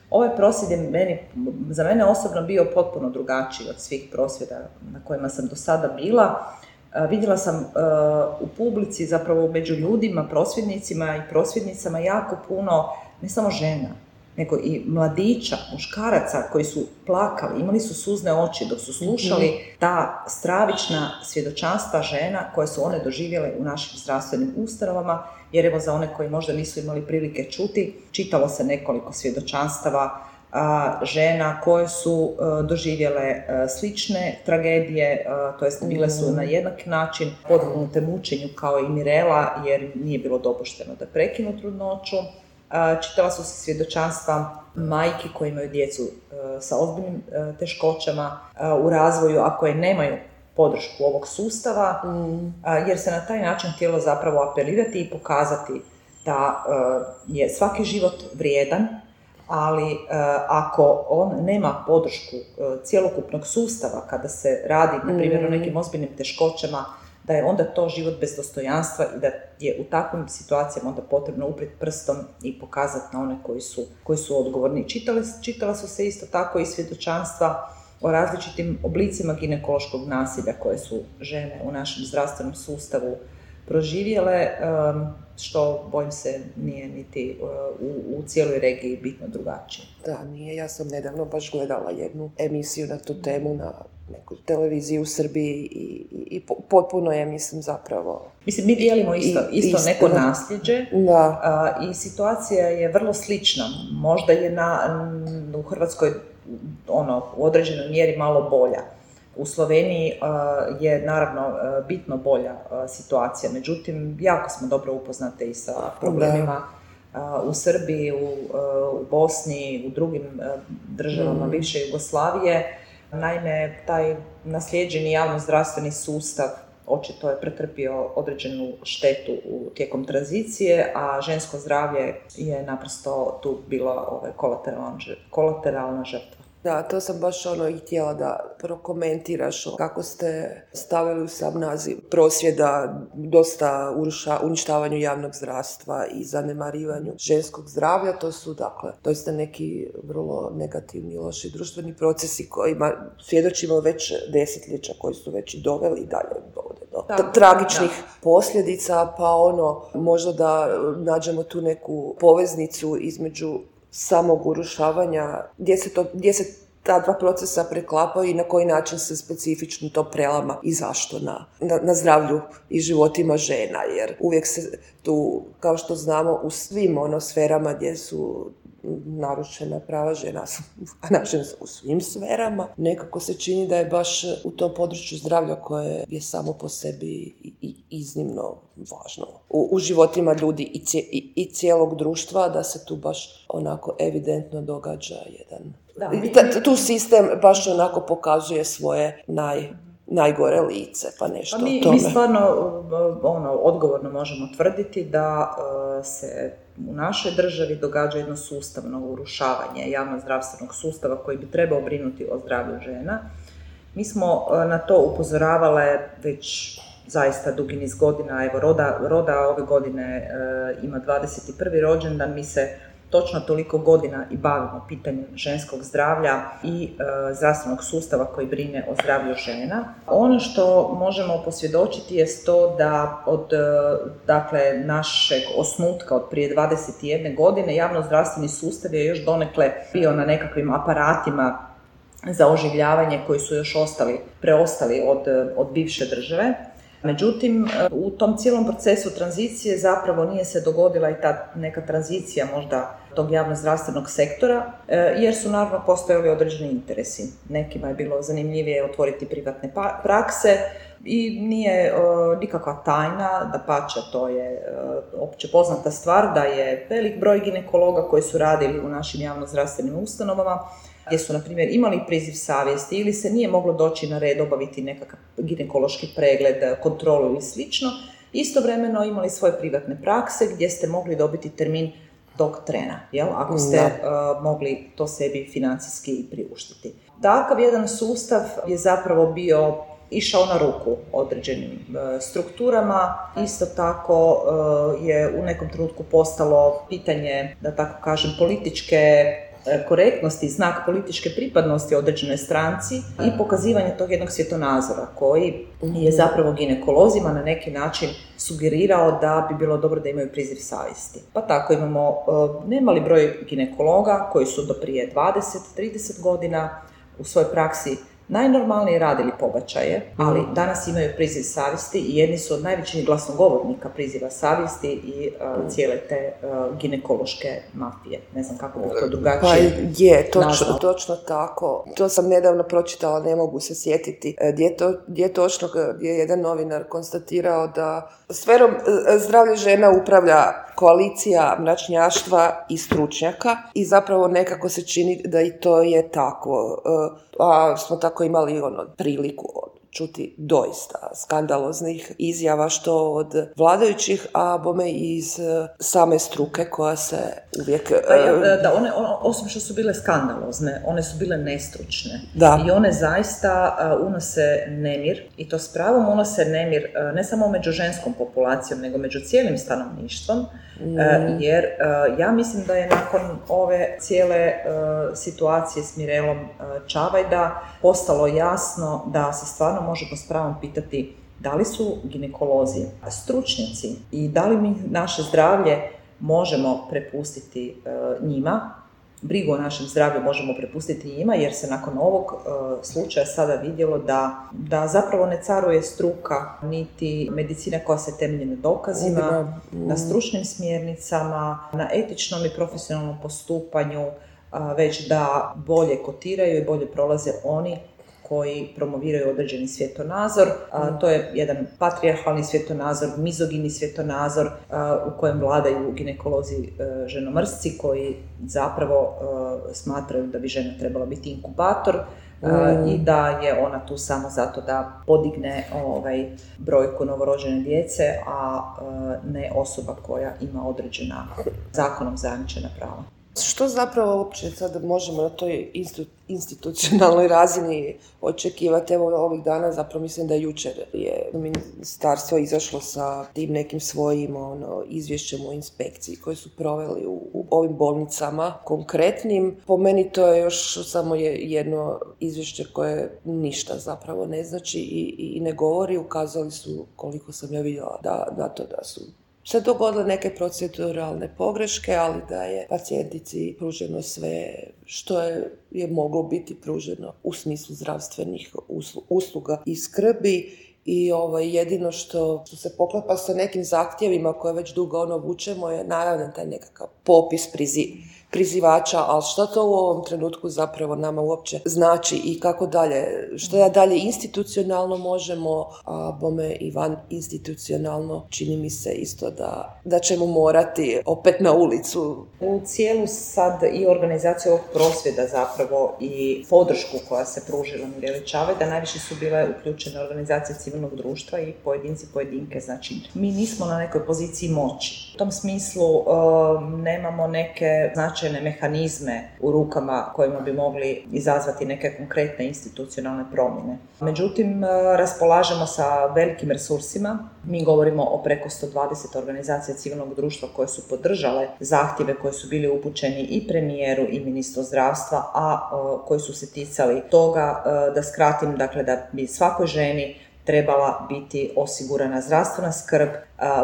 Ovaj prosvjed je meni, za mene osobno bio potpuno drugačiji od svih prosvjeda na kojima sam do sada bila. Uh, vidjela sam uh, u publici, zapravo među ljudima, prosvjednicima i prosvjednicama jako puno, ne samo žena, nego i mladića, muškaraca koji su plakali, imali su suzne oči dok su slušali ta stravična svjedočanstva žena koje su one doživjele u našim zdravstvenim ustanovama, jer evo za one koji možda nisu imali prilike čuti, čitalo se nekoliko svjedočanstava a, žena koje su a, doživjele a, slične tragedije, a, to jest bile su na jednak način podvrgnute mučenju kao i Mirela, jer nije bilo dopušteno da prekinu trudnoću. Čitala su se svjedočanstva majki koje imaju djecu sa ozbiljnim teškoćama u razvoju, a koje nemaju podršku ovog sustava, mm. jer se na taj način htjelo zapravo apelirati i pokazati da je svaki život vrijedan, ali e, ako on nema podršku e, cjelokupnog sustava kada se radi, na primjer, o nekim ozbiljnim teškoćama, da je onda to život bez dostojanstva i da je u takvim situacijama onda potrebno uprijeti prstom i pokazati na one koji su, koji su odgovorni. Čitali, čitala su se isto tako i svjedočanstva o različitim oblicima ginekološkog nasilja koje su žene u našem zdravstvenom sustavu proživjele, što, bojim se, nije niti u, u cijeloj regiji bitno drugačije. Da, nije. Ja sam nedavno baš gledala jednu emisiju na tu temu na nekoj televiziji u Srbiji i, i, i potpuno je, mislim, zapravo... Mislim, mi dijelimo isto, I, isto, isto neko nasljeđe, da. A, i situacija je vrlo slična. Možda je na, u Hrvatskoj ono, u određenoj mjeri malo bolja. U Sloveniji uh, je naravno uh, bitno bolja uh, situacija, međutim jako smo dobro upoznate i sa problemima uh, u Srbiji, u, uh, u Bosni, u drugim uh, državama mm. bivše Jugoslavije. Naime, taj naslijeđeni javno-zdravstveni sustav očito je pretrpio određenu štetu u, tijekom tranzicije, a žensko zdravlje je naprosto tu bila ovaj, kolateralna, kolateralna žrtva. Da, to sam baš ono i htjela da prokomentiraš kako ste stavili u sam naziv prosvjeda dosta uruša, uništavanju javnog zdravstva i zanemarivanju ženskog zdravlja. To su, dakle, doista neki vrlo negativni, loši društveni procesi kojima svjedočimo već desetljeća, koji su već i doveli i dalje dovode do da, tragičnih da. posljedica, pa ono, možda da nađemo tu neku poveznicu između samog urušavanja, gdje se, to, gdje se ta dva procesa preklapaju i na koji način se specifično to prelama i zašto na, na, na zdravlju i životima žena, jer uvijek se tu, kao što znamo, u svim ono sferama gdje su narušena prava žena, a nažalost u svim sferama, nekako se čini da je baš u tom području zdravlja koje je samo po sebi i iznimno važno u, u životima ljudi i, cije, i, i cijelog društva, da se tu baš onako evidentno događa jedan... Da, mi... Tu sistem baš onako pokazuje svoje naj... najgore lice, pa nešto pa mi, o tome. Mi stvarno ono, odgovorno možemo tvrditi da uh, se u našoj državi događa jedno sustavno urušavanje javno-zdravstvenog sustava koji bi trebao brinuti o zdravlju žena. Mi smo uh, na to upozoravale već zaista dugi niz godina. Evo, Roda, Roda ove godine uh, ima dvadeset prvi rođendan, mi se točno toliko godina i bavimo pitanjem ženskog zdravlja i e, zdravstvenog sustava koji brine o zdravlju žena. Ono što možemo posvjedočiti je to da od e, dakle, našeg osnutka od prije dvadeset jedne godine javno-zdravstveni sustav je još donekle bio na nekakvim aparatima za oživljavanje koji su još ostali, preostali od, od bivše države. Međutim, u tom cijelom procesu tranzicije zapravo nije se dogodila i ta neka tranzicija možda tog javno-zdravstvenog sektora, jer su naravno postojali određeni interesi. Nekima je bilo zanimljivije otvoriti privatne prakse i nije uh, nikakva tajna, dapače, to je uh, opće poznata stvar da je velik broj ginekologa koji su radili u našim javno-zdravstvenim ustanovama, gdje su, na primjer, imali priziv savjesti ili se nije moglo doći na red obaviti nekakav ginekološki pregled, kontrolu ili slično, istovremeno imali svoje privatne prakse gdje ste mogli dobiti termin tog trena, jel? Ako ste uh, mogli to sebi financijski priuštiti. Takav jedan sustav je zapravo bio išao na ruku određenim uh, strukturama. Isto tako uh, je u nekom trenutku postalo pitanje, da tako kažem, političke korektnosti, znak političke pripadnosti određenoj stranci i pokazivanje tog jednog svjetonazora koji je zapravo ginekolozima na neki način sugerirao da bi bilo dobro da imaju priziv savjesti. Pa tako imamo uh, nemali broj ginekologa koji su do prije dvadeset do trideset godina u svojoj praksi najnormalnije radili pobačaje, ali danas imaju priziv savjesti i jedni su od najvećih glasnogovornika priziva savjesti i uh, cijele te uh, ginekološke mafije. Ne znam kako bi to drugačije Pa je, točno, točno tako. To sam nedavno pročitala, ne mogu se sjetiti. Gdje, to, gdje točno gdje je jedan novinar konstatirao da sferom zdravlja žena upravlja koalicija mračnjaštva i stručnjaka i zapravo nekako se čini da i to je tako. A smo tako imali ono priliku od čuti doista skandaloznih izjava što od vladajućih, a bome i iz same struke koja se uvijek... Pa ja, da, one, osim što su bile skandalozne, one su bile nestručne. Da. I one zaista uh, unose nemir, i to s pravom unose nemir uh, ne samo među ženskom populacijom, nego među cijelim stanovništvom, mm. uh, jer uh, ja mislim da je nakon ove cijele uh, situacije s Mirelom uh, Čavajda postalo jasno da se stvarno možemo s pravom pitati da li su ginekolozi stručnjaci i da li mi naše zdravlje možemo prepustiti uh, njima, brigu o našem zdravlju možemo prepustiti njima, jer se nakon ovog uh, slučaja sada vidjelo da, da zapravo ne caruje struka, niti medicina koja se temelji na dokazima, mm. na stručnim smjernicama, na etičnom i profesionalnom postupanju, uh, već da bolje kotiraju i bolje prolaze oni koji promoviraju određeni svjetonazor. A, to je jedan patrijarhalni svjetonazor, mizogini svjetonazor a, u kojem vladaju ginekolozi a, ženomrsci koji zapravo a, smatraju da bi žena trebala biti inkubator a, mm. i da je ona tu samo zato da podigne ovaj, brojku novorođene djece, a, a ne osoba koja ima određena zakonom zajamčena prava. Što zapravo uopće sad možemo na toj institucionalnoj razini očekivati? Evo ovih dana, zapravo mislim da jučer je ministarstvo izašlo sa tim nekim svojim ono, izvješćem o inspekciji koje su proveli u, u ovim bolnicama konkretnim. Po meni to je još samo je jedno izvješće koje ništa zapravo ne znači i, i ne govori. Ukazali su, koliko sam ja vidjela, da, na to da su se dogodile neke proceduralne pogreške, ali da je pacijentici pruženo sve što je, je moglo biti pruženo u smislu zdravstvenih usluga i skrbi. I ovaj, jedino što, što se poklapa sa nekim zahtjevima koje već dugo ono vučemo je naravno taj nekakav popis prizi, prizivača, ali što to u ovom trenutku zapravo nama uopće znači i kako dalje, što da dalje institucionalno možemo, a bome i van institucionalno čini mi se isto da, da ćemo morati opet na ulicu. U cijelu sad i organizaciju ovog prosvjeda zapravo i podršku koja se pružila Mireli Čavajda, najviše su bile uključene organizacije civilnog društva i pojedinci pojedinke, znači mi nismo na nekoj poziciji moći. U tom smislu um, nemamo neke značajne mehanizme u rukama kojima bi mogli izazvati neke konkretne institucionalne promjene. Međutim, raspolažemo sa velikim resursima. Mi govorimo o preko sto dvadeset organizacija civilnog društva koje su podržale zahtjeve koji su bili upućeni i premijeru i ministru zdravstva, a uh, koji su se ticali toga, uh, da skratim, dakle da bi svakoj ženi trebala biti osigurana zdravstvena skrb,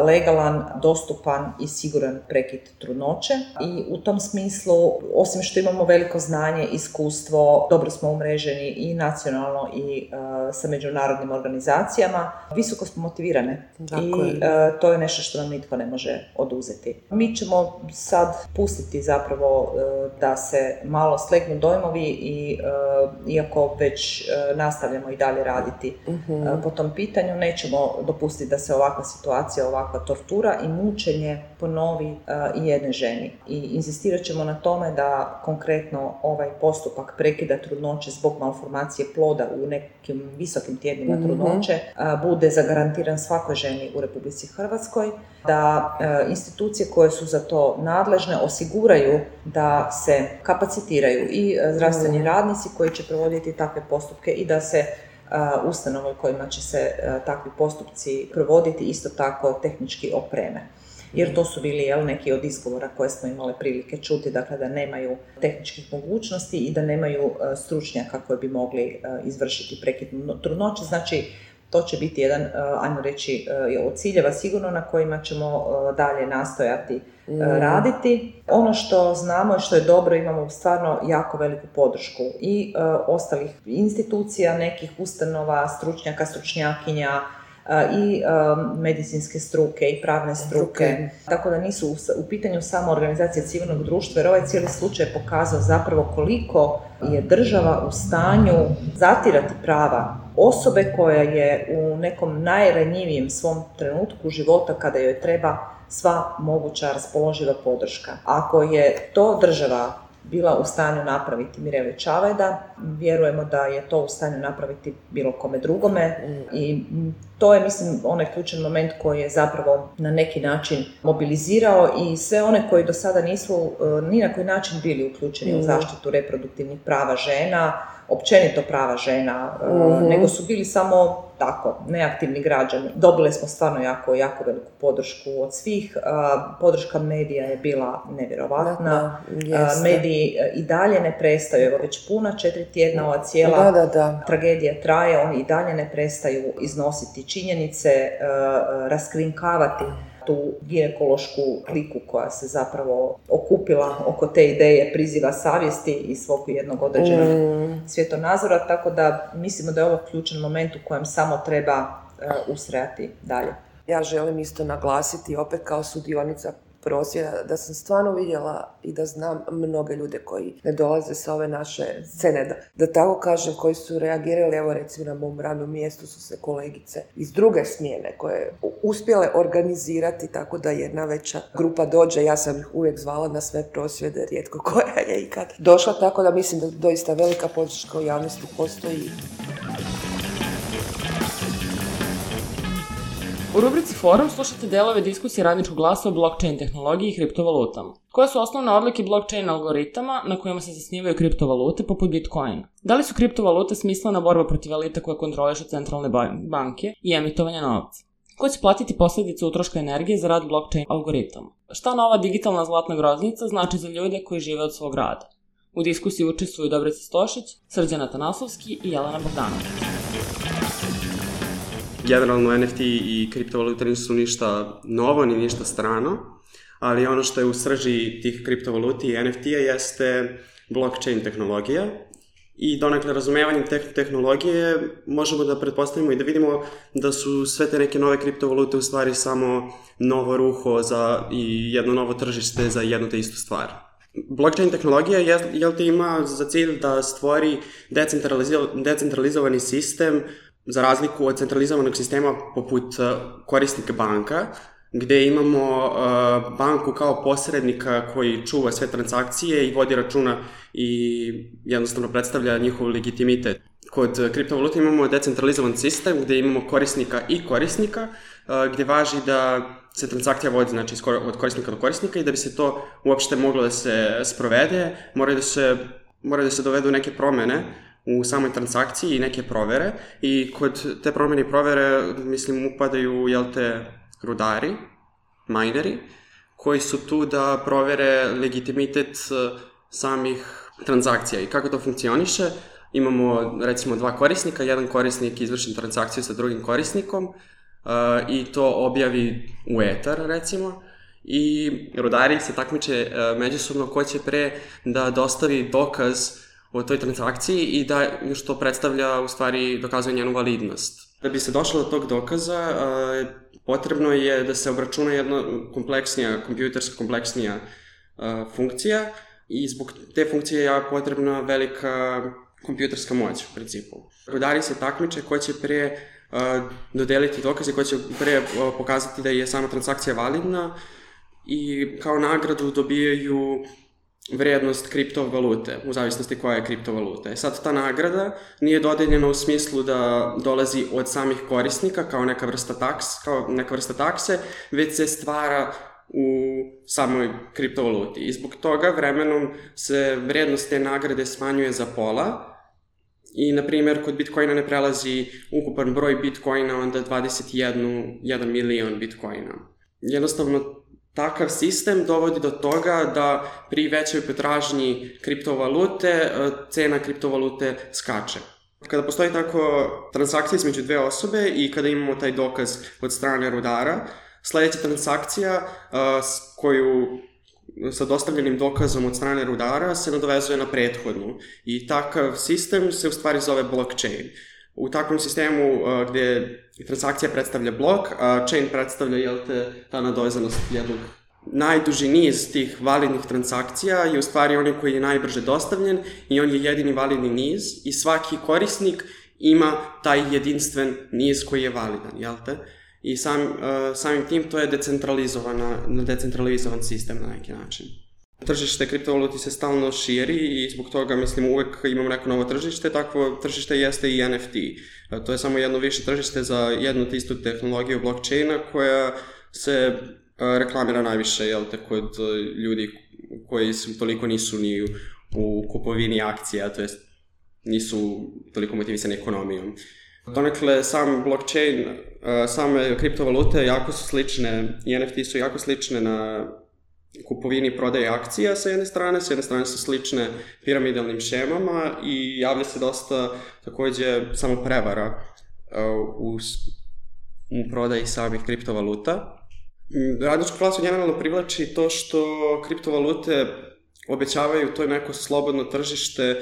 legalan, dostupan i siguran prekid trudnoće. I u tom smislu, osim što imamo veliko znanje, iskustvo, dobro smo umreženi i nacionalno i uh, sa međunarodnim organizacijama, visoko smo motivirane. Dakle. I uh, to je nešto što nam nitko ne može oduzeti. Mi ćemo sad pustiti zapravo uh, da se malo slegnu dojmovi i uh, iako već uh, nastavljamo i dalje raditi uh-huh. uh, po tom pitanju, nećemo dopustiti da se ovakva situacija, ovakva tortura i mučenje ponovi uh, i jedne ženi. I inzistirat ćemo na tome da konkretno ovaj postupak prekida trudnoće zbog malformacije ploda u nekim visokim tjednima mm-hmm. trudnoće uh, bude zagarantiran svakoj ženi u Republici Hrvatskoj, da uh, institucije koje su za to nadležne osiguraju da se kapacitiraju i uh, zdravstveni mm-hmm. radnici koji će provoditi takve postupke i da se Uh, ustanove u kojima će se uh, takvi postupci provoditi isto tako tehnički opreme. Jer to su bili jel, neki od izgovora koje smo imali prilike čuti, dakle da nemaju tehničkih mogućnosti i da nemaju uh, stručnjaka koji bi mogli uh, izvršiti prekid trudnoće. Znači, to će biti jedan, uh, ajmo reći, uh, od ciljeva sigurno na kojima ćemo uh, dalje nastojati uh, mm. raditi. Ono što znamo i što je dobro, imamo stvarno jako veliku podršku i uh, ostalih institucija, nekih ustanova, stručnjaka, stručnjakinja, i um, medicinske struke i pravne struke. Okay. Tako da nisu u, u pitanju samo organizacije civilnog društva, jer ovaj cijeli slučaj je pokazao zapravo koliko je država u stanju zatirati prava osobe koja je u nekom najranjivijem svom trenutku života kada joj treba sva moguća raspoloživa podrška. Ako je to država bila u stanju napraviti Mireli Čavajda. Vjerujemo da je to u stanju napraviti bilo kome drugome i to je, mislim, onaj ključan moment koji je zapravo na neki način mobilizirao i sve one koji do sada nisu ni na koji način bili uključeni u zaštitu reproduktivnih prava žena, općenito prava žena, mm-hmm. nego su bili samo tako, neaktivni građani. Dobili smo stvarno jako, jako veliku podršku od svih. Podrška medija je bila nevjerovatna. Da, mediji i dalje ne prestaju, evo već puna četiri tjedna ova cijela da, da, da. tragedija traje, oni i dalje ne prestaju iznositi činjenice, raskrinkavati tu ginekološku kliku koja se zapravo okupila oko te ideje priziva savjesti i svog jednog određenog mm. svjetonazora, tako da mislimo da je ovo ključan moment u kojem samo treba uh, ustrajati dalje. Ja želim isto naglasiti, opet kao sudionica prosvjeda, da sam stvarno vidjela i da znam mnoge ljude koji ne dolaze sa ove naše scene, da, da tako kažem, koji su reagirali, evo recimo na mom radnom mjestu su se kolegice iz druge smjene koje uspjele organizirati tako da jedna veća grupa dođe. Ja sam ih uvijek zvala na sve prosvjede, rijetko koja je ikad došla, tako da mislim da doista velika podrška u javnosti postoji. U rubrici Forum slušate delove diskusije Radničkog glasa o blockchain tehnologiji i kriptovalutama. Koje su osnovne odlike blockchain algoritama na kojima se zasnivaju kriptovalute poput Bitcoina? Da li su kriptovalute smislena borba protiv elita koje kontrolišu centralne banke i emitovanje novca? Ko će platiti posljedice utroška energije za rad blockchain algoritama? Šta nova digitalna zlatna groznica znači za ljude koji žive od svog rada? U diskusiji učestvuju Dobrica Stošić, Srđan Atanasovski i Jelena Bogdanović. Generalno N F T i kriptovalute nisu ništa novo ni ništa strano, ali ono što je u srži tih kriptovaluti i N F T-a jeste blockchain tehnologija i donekle razumevanjem te tehnologije možemo da pretpostavimo i da vidimo da su sve te neke nove kriptovalute u stvari samo novo ruho za i jedno novo tržište za jednu te istu stvar. Blockchain tehnologija je, jel te ima za cilj da stvori decentralizo- decentralizovani sistem za razliku od centralizovanog sistema poput korisnika banka, gde imamo uh, banku kao posrednika koji čuva sve transakcije i vodi računa i jednostavno predstavlja njihov legitimitet. Kod kriptovaluta imamo decentralizovan sistem gde imamo korisnika i korisnika, uh, gde važi da se transakcija vodi, znači od korisnika do korisnika, i da bi se to uopšte moglo da se sprovede, moraju da se, moraju da se dovedu neke promene u samoj transakciji i neke provere, i kod te promjene i provere, mislim, upadaju, jel te, rudari, mineri, koji su tu da provere legitimitet samih transakcija. I kako to funkcioniše? Imamo, recimo, dva korisnika, jedan korisnik izvrši transakciju sa drugim korisnikom uh, i to objavi u etar, recimo, i rudari se takmiče uh, međusobno ko će pre da dostavi dokaz o toj transakciji i da što predstavlja, u stvari, dokazuje njenu validnost. Da bi se došlo do tog dokaza, uh, potrebno je da se obračuna jedna kompleksnija, kompjuterska kompleksnija uh, funkcija, i zbog te funkcije je potrebna velika kompjuterska moć, u principu. Rudari se takmiče ko će pre uh, dodeliti dokaze, ko će pre uh, pokazati da je sama transakcija validna, i kao nagradu dobijaju vrednost kriptovalute, u zavisnosti koja je kriptovaluta. Sad, ta nagrada nije dodeljena u smislu da dolazi od samih korisnika kao neka vrsta taks, kao neka vrsta takse, već se stvara u samoj kriptovaluti. I zbog toga vremenom se vrednost te nagrade smanjuje za pola, i, na primjer, kod Bitcoina ne prelazi ukupan broj Bitcoina onda dvadeset jedan milion Bitcoina. Jednostavno, takav sistem dovodi do toga da pri većoj potražnji kriptovalute cena kriptovalute skače. Kada postoji tako transakcija između dve osobe i kada imamo taj dokaz od strane rudara, sljedeća transakcija s koju sa dostavljenim dokazom od strane rudara se nadovezuje na prethodnu, i takav sistem se u stvari zove blockchain. U takvom sistemu uh, gdje transakcija predstavlja blok, a chain predstavlja, jel te, ta nadovezanost jednog. Najduži niz tih validnih transakcija je u stvari onaj koji je najbrže dostavljen i on je jedini validni niz, i svaki korisnik ima taj jedinstven niz koji je validan, jel te? I sam, uh, samim tim to je decentralizovana, decentralizovan sistem na neki način. Tržište kriptovaluti se stalno širi i zbog toga, mislim, uvek imamo neko novo tržište, takvo tržište jeste i N F T. To je samo jedno više tržište za jednu te istu tehnologiju blockchaina koja se reklamira najviše, jel te, kod ljudi koji su toliko nisu ni u kupovini akcija, to jest nisu toliko motivisani ekonomijom. Donekle, sam blockchain, same kriptovalute jako su slične i N F T su jako slične na kupovini i prodaje akcija sa jedne strane, s jedne strane su slične piramidalnim šemama i javlja se dosta takođe samo prevara u, u prodaji samih kriptovaluta. Radničku klasu generalno privlači to što kriptovalute obećavaju to neko slobodno tržište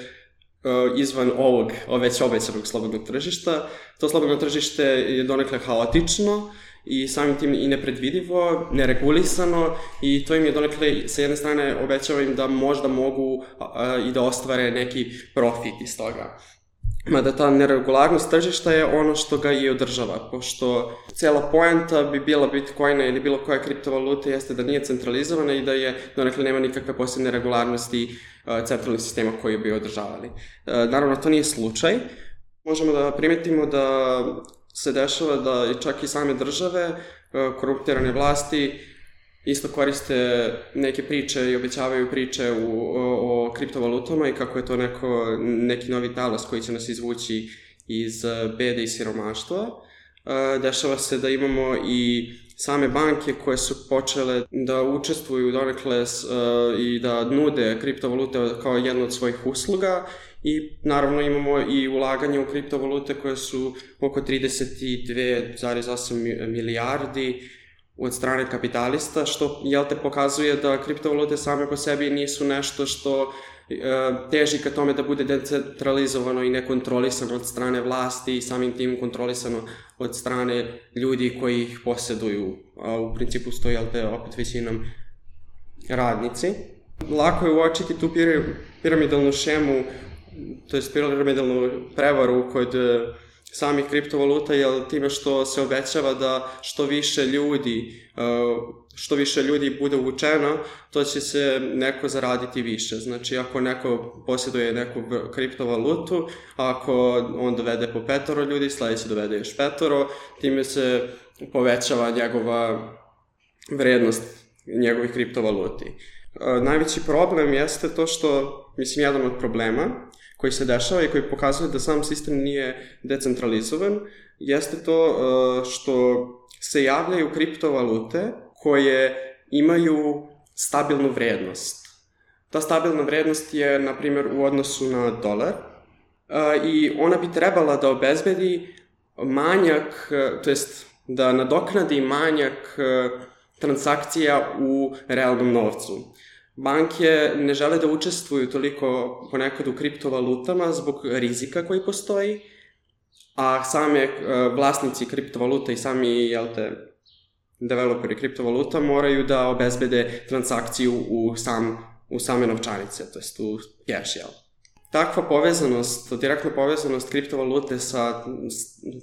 izvan ovog, već obećanog slobodnog tržišta. To slobodno tržište je donekle haotično i samim tim i nepredvidivo, neregulisano i to im je donekle sa jedne strane obećava im da možda mogu a, i da ostvare neki profit iz toga. Mada ta neregularnost tržišta je ono što ga i održava, pošto cijela poenta bi bila Bitcoina ili bilo koja kriptovaluta jeste da nije centralizovana i da je donekle nema nikakve posebne regularnosti centralnih sistema koji bi održavali. Naravno, to nije slučaj. Možemo da primetimo da se dešava da čak i same države, korumpirane vlasti, isto koriste neke priče i obećavaju priče u, o, o kriptovalutama i kako je to neko, neki novi talas koji će nas izvući iz bede i siromaštva. Dešava se da imamo i same banke koje su počele da učestvuju donekle i da nude kriptovalute kao jednu od svojih usluga i naravno imamo i ulaganje u kriptovalute koje su oko trideset dve zarez osam milijardi od strane kapitalista, što jel te pokazuje da kriptovalute same po sebi nisu nešto što e, teži ka tome da bude decentralizovano i nekontrolisano od strane vlasti i samim tim kontrolisano od strane ljudi koji ih posjeduju, a u principu stoji jel te opet većinom radnici. Lako je uočiti tu piramidalnu šemu, to je piramidalnu prevaru kod samih kriptovaluta, jer time što se obećava da što više ljudi, što više ljudi bude uvučeno, to će se neko zaraditi više. Znači, ako neko posjeduje neku kriptovalutu, ako on dovede po petoro ljudi, sledeće dovede još petoro, time se povećava njegova vrednost njegovih kriptovaluti. Najveći problem jeste to što, mislim, jedan od problema koji se dešava i koji pokazuje da sam sistem nije decentralizovan, jeste to što se javljaju kriptovalute koje imaju stabilnu vrednost. Ta stabilna vrednost je, na primjer, u odnosu na dolar i ona bi trebala da obezbedi manjak, to jest da nadoknadi manjak transakcija u realnom novcu. Banke ne žele da učestvuju toliko ponekad u kriptovalutama zbog rizika koji postoji, a same vlasnici kriptovaluta i sami, jel te, developeri kriptovaluta moraju da obezbede transakciju u, sam, u same novčanice, to jest u cash, jel? Takva povezanost, direktna povezanost kriptovalute sa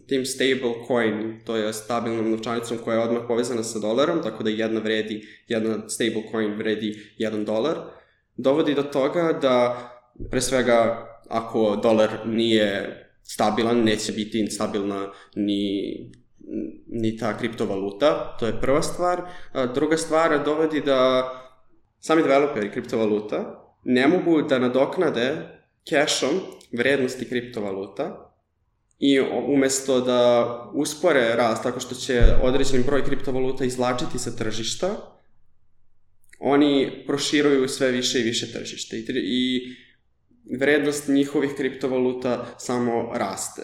tim stable coin, to je stabilnom novčanicom koja je odmah povezana sa dolarom, tako da jedna vredi, jedna stable coin vredi jedan dolar, dovodi do toga da, pre svega, ako dolar nije stabilan, neće biti stabilna ni, ni ta kriptovaluta, to je prva stvar. A druga stvar dovodi da sami developeri kriptovaluta ne mogu da nadoknade cashom vrednosti kriptovaluta i umesto da uspore rast tako što će određeni broj kriptovaluta izvlačiti sa tržišta, oni proširuju sve više i više tržište i vrednost njihovih kriptovaluta samo raste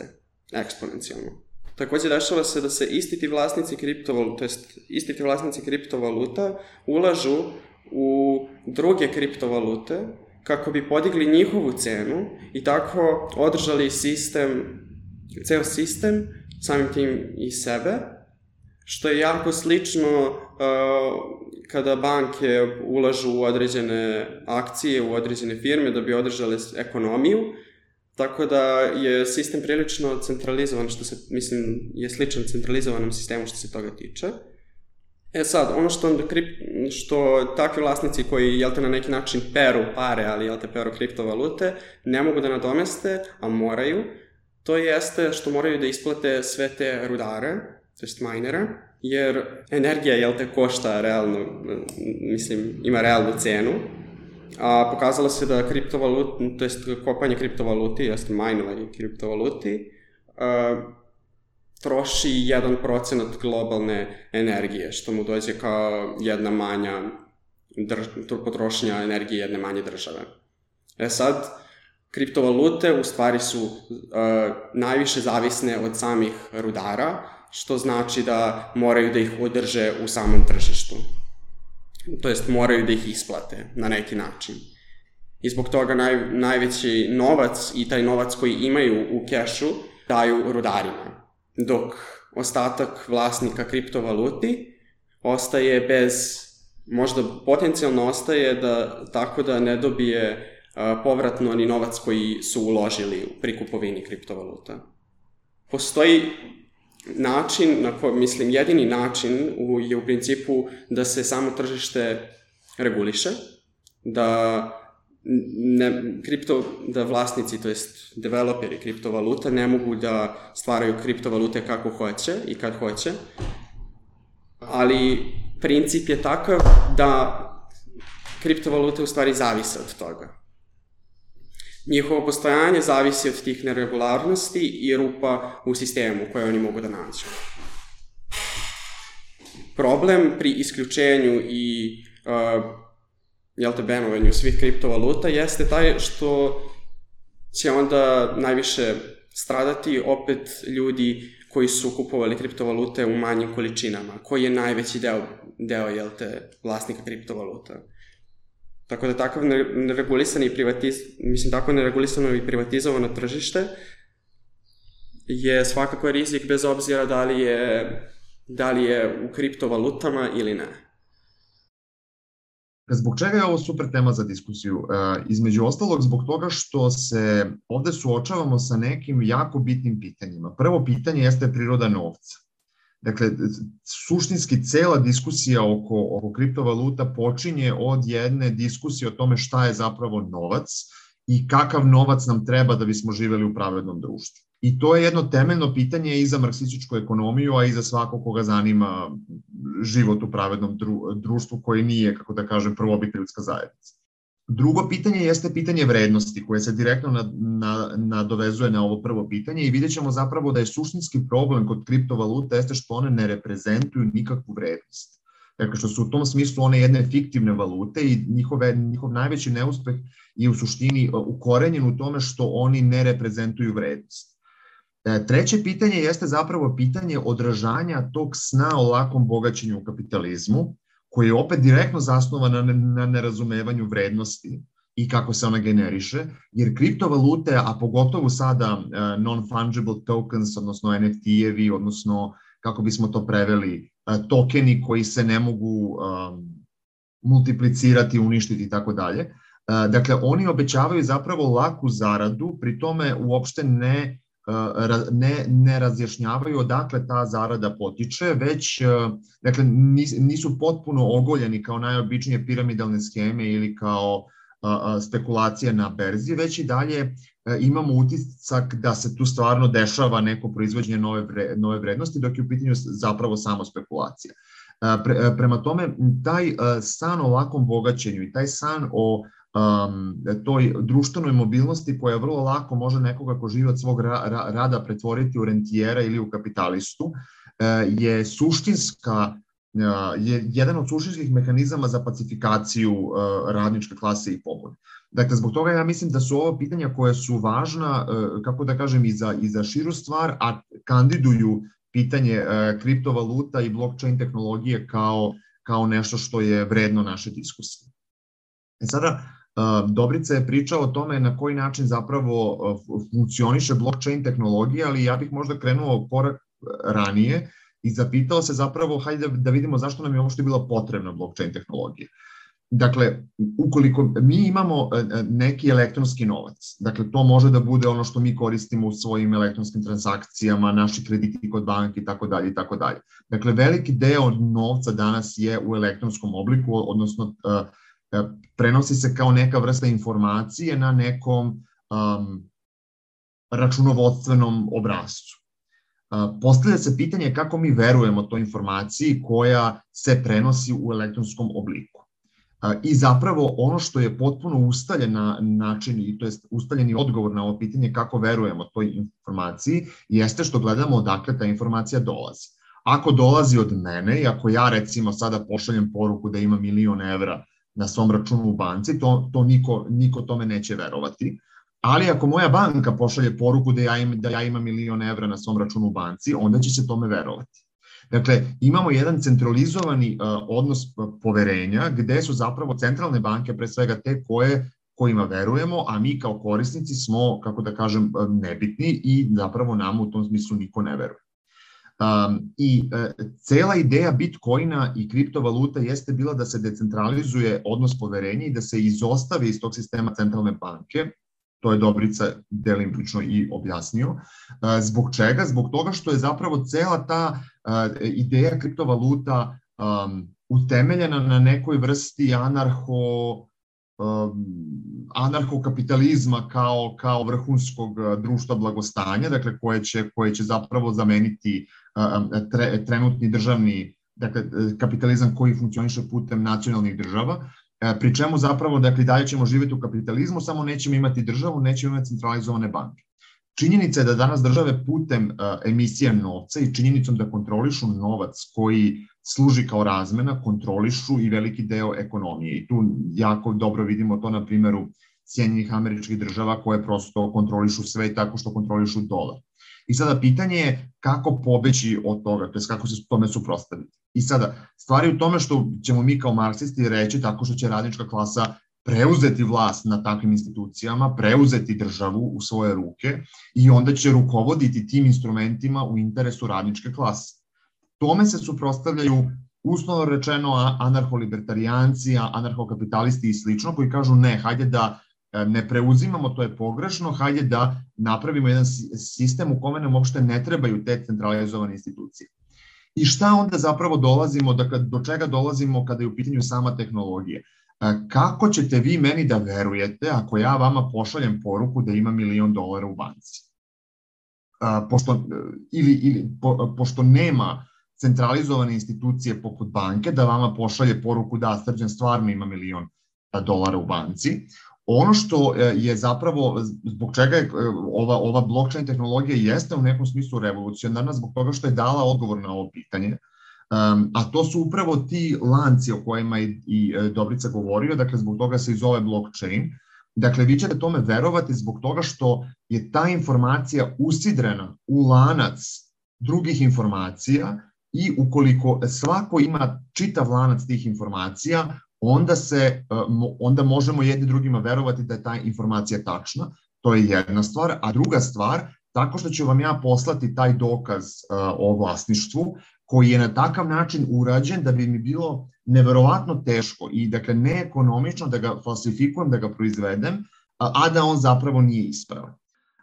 eksponencijalno. Takođe dešava se da se isti ti vlasnici kriptovaluta, to jest isti ti vlasnici kriptovaluta ulažu u druge kriptovalute kako bi podigli njihovu cenu i tako održali sistem, ceo sistem, samim tim i sebe, što je jako slično uh, kada banke ulažu u određene akcije, u određene firme da bi održale ekonomiju, tako da je sistem prilično centralizovan, što se, mislim, je sličan centralizovanom sistemu što se toga tiče. E sad, ono što krip, što takvi vlasnici koji, jel te, na neki način peru pare, ali, jel te, peru kriptovalute, ne mogu da nadomeste, a moraju, to jeste što moraju da isplate sve te rudare, to jest minere, jer energija, jel te, košta realno, mislim, ima realnu cenu, a pokazalo se da kriptovalut, to jest kopanje kriptovaluti, jeste minovanje kriptovaluti, uh, troši jedan procenat globalne energije, što mu dođe kao jedna manja drž... potrošnja energije jedne manje države. E sad, kriptovalute u stvari su uh, najviše zavisne od samih rudara, što znači da moraju da ih održe u samom tržištu. To jest moraju da ih isplate na neki način. I zbog toga naj, najveći novac i taj novac koji imaju u kešu daju rudarima, dok ostatak vlasnika kriptovaluti ostaje bez, možda potencijalno ostaje da, tako da ne dobije a, povratno ni novac koji su uložili pri kupovini kriptovaluta. Postoji način, na ko, mislim, jedini način u, je u principu da se samo tržište reguliše, da ne, kripto, da vlasnici, to jest developeri kriptovaluta ne mogu da stvaraju kriptovalute kako hoće i kad hoće, ali princip je takav da kriptovalute u stvari zavise od toga. Njihovo postojanje zavisi od tih neregularnosti i rupa u sistemu koje oni mogu da nađu. Problem pri isključenju i uh, jel te, benovanju svih kriptovaluta jeste taj što će onda najviše stradati opet ljudi koji su kupovali kriptovalute u manjim količinama, koji je najveći deo, deo jel te, vlasnika kriptovaluta. Tako da takav neregulisani privatiz, mislim, tako neregulisano i privatizovano tržište je svakako rizik bez obzira da li je, da li je u kriptovalutama ili ne. Zbog čega je ovo super tema za diskusiju? E, između ostalog zbog toga što se ovde suočavamo sa nekim jako bitnim pitanjima. Prvo pitanje jeste priroda novca. Dakle, suštinski cela diskusija oko, oko kriptovaluta počinje od jedne diskusije o tome šta je zapravo novac i kakav novac nam treba da bismo živeli u pravednom društvu. I to je jedno temeljno pitanje i za marksističku ekonomiju, a i za svako koga zanima život u pravednom društvu koji nije, kako da kažem, prvobitna ljudska zajednica. Drugo pitanje jeste pitanje vrednosti, koje se direktno nadovezuje na, na ovo prvo pitanje i vidjet ćemo zapravo da je suštinski problem kod kriptovaluta jeste što one ne reprezentuju nikakvu vrednost. Dakle, što su u tom smislu one jedne fiktivne valute i njihove, njihov najveći neuspeh je u suštini ukorenjen u tome što oni ne reprezentuju vrednost. Treće pitanje jeste zapravo pitanje odražanja tog sna o lakom bogaćenju u kapitalizmu, koji je opet direktno zasnovan na, na nerazumevanju vrednosti i kako se ona generiše, jer kriptovalute, a pogotovo sada uh, non-fungible tokens, odnosno en ef ti-evi, odnosno, kako bismo to preveli, uh, tokeni koji se ne mogu um, multiplicirati, uništiti i tako dalje. Dakle, oni obećavaju zapravo laku zaradu, pri tome uopšte ne Ne, ne razjašnjavaju odakle ta zarada potiče, već dakle, nisu potpuno ogoljeni kao najobičnije piramidalne scheme ili kao a, a, spekulacije na berzi, već i dalje a, imamo utisak da se tu stvarno dešava neko proizvođenje nove, vre, nove vrednosti, dok je u pitanju zapravo samo spekulacija. A, pre, prema tome, taj a, san o lakom bogaćenju i taj san o Um, toj društvenoj mobilnosti koja vrlo lako može nekoga ko živi od svog ra ra rada pretvoriti u rentijera ili u kapitalistu, uh, je suštinska, uh, je jedan od suštinskih mehanizama za pacifikaciju uh, radničke klase i pobune. Dakle, zbog toga ja mislim da su ovo pitanja koje su važna, uh, kako da kažem, i za, i za širu stvar, a kandiduju pitanje uh, kriptovaluta i blockchain tehnologije kao, kao nešto što je vredno naše diskusije. E sada, Dobrica je pričao o tome na koji način zapravo funkcioniše blockchain tehnologija, ali ja bih možda krenuo korak ranije i zapitao se zapravo, hajde da vidimo zašto nam je uopšte bila potrebna blockchain tehnologija. Dakle, ukoliko mi imamo neki elektronski novac, dakle to može da bude ono što mi koristimo u svojim elektronskim transakcijama, naši krediti kod banke i tako dalje i tako dalje. Dakle, veliki deo novca danas je u elektronskom obliku, odnosno prenosi se kao neka vrsta informacije na nekom um, računovodstvenom obrascu. Postavlja se pitanje kako mi verujemo toj informaciji koja se prenosi u elektronskom obliku. I zapravo ono što je potpuno ustaljen način, i to je ustaljeni odgovor na ovo pitanje kako verujemo toj informaciji, jeste što gledamo odakle ta informacija dolazi. Ako dolazi od mene i ako ja recimo sada pošaljem poruku da ima milion evra na svom računu u banci, to, to niko, niko tome neće verovati. Ali ako moja banka pošalje poruku da ja, im, da ja imam milion evra na svom računu u banci, onda će se tome verovati. Dakle, imamo jedan centralizovani uh, odnos poverenja gde su zapravo centralne banke pre svega te koje, kojima verujemo, a mi kao korisnici smo, kako da kažem, nebitni i zapravo nam u tom smislu niko ne veruje. Um, I uh, cela ideja Bitcoina i kriptovaluta jeste bila da se decentralizuje odnos poverenja i da se izostavi iz tog sistema centralne banke. To je Dobrica delimično i objasnio. Zbog čega? Zbog toga što je zapravo cela ta ideja kriptovaluta um, utemeljena na nekoj vrsti anarho, um, anarhokapitalizma kao, kao vrhunskog društva blagostanja, dakle koje će, koje će zapravo zameniti um, tre, trenutni državni, dakle kapitalizam koji funkcioniše putem nacionalnih država. Pri čemu zapravo, dakle, dalje ćemo živjeti u kapitalizmu, samo nećemo imati državu, nećemo imati centralizovane banke. Činjenica je da danas države putem uh, emisije novca i činjenicom da kontrolišu novac koji služi kao razmena, kontrolišu i veliki deo ekonomije. I tu jako dobro vidimo to na primjeru Sjedinjenih Američkih Država koje prosto kontrolišu sve tako što kontrolišu dolar. I sada pitanje je kako pobeći od toga, to je kako se tome suprotstaviti. I sada, stvari u tome što ćemo mi kao marksisti reći tako što će radnička klasa preuzeti vlast na takvim institucijama, preuzeti državu u svoje ruke i onda će rukovoditi tim instrumentima u interesu radničke klase. Tome se suprotstavljaju uslovno rečeno anarholibertarijanci, anarhokapitalisti i slično koji kažu ne, hajde da ne preuzimamo, to je pogrešno, hajde da napravimo jedan sistem u kome nam uopšte ne trebaju te centralizovane institucije. I šta onda zapravo dolazimo, dakle, do čega dolazimo kada je u pitanju sama tehnologija? Kako ćete vi meni da verujete ako ja vama pošaljem poruku da ima milion dolara u banci? Pošto, ili, ili, po, pošto nema centralizovane institucije poput banke da vama pošalje poruku da Srđan stvarno ima milion dolara u banci. Ono što je zapravo, zbog čega je ova, ova blockchain tehnologija jeste u nekom smislu revolucionarna, zbog toga što je dala odgovor na ovo pitanje, um, a to su upravo ti lanci o kojima i, i Dobrica govorio, dakle zbog toga se i zove blockchain. Dakle, vi ćete tome verovati zbog toga što je ta informacija usidrena u lanac drugih informacija i ukoliko svako ima čitav lanac tih informacija, onda, se, onda možemo jedni drugima verovati da je ta informacija tačna. To je jedna stvar. A druga stvar, tako što ću vam ja poslati taj dokaz o vlasništvu, koji je na takav način urađen da bi mi bilo neverovatno teško i dakle neekonomično da ga falsifikujem, da ga proizvedem, a da on zapravo nije ispravan.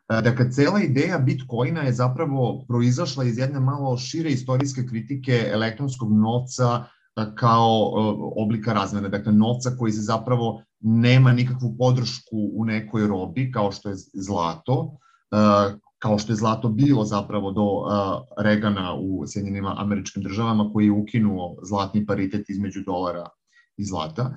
Dakle, cela ideja Bitcoina je zapravo proizašla iz jedne malo šire istorijske kritike elektronskog novca kao oblika razmene, dakle novca koji se zapravo nema nikakvu podršku u nekoj robi kao što je zlato, kao što je zlato bilo zapravo do Reagana u Sjedinjenim Američkim Državama koji je ukinuo zlatni paritet između dolara i zlata,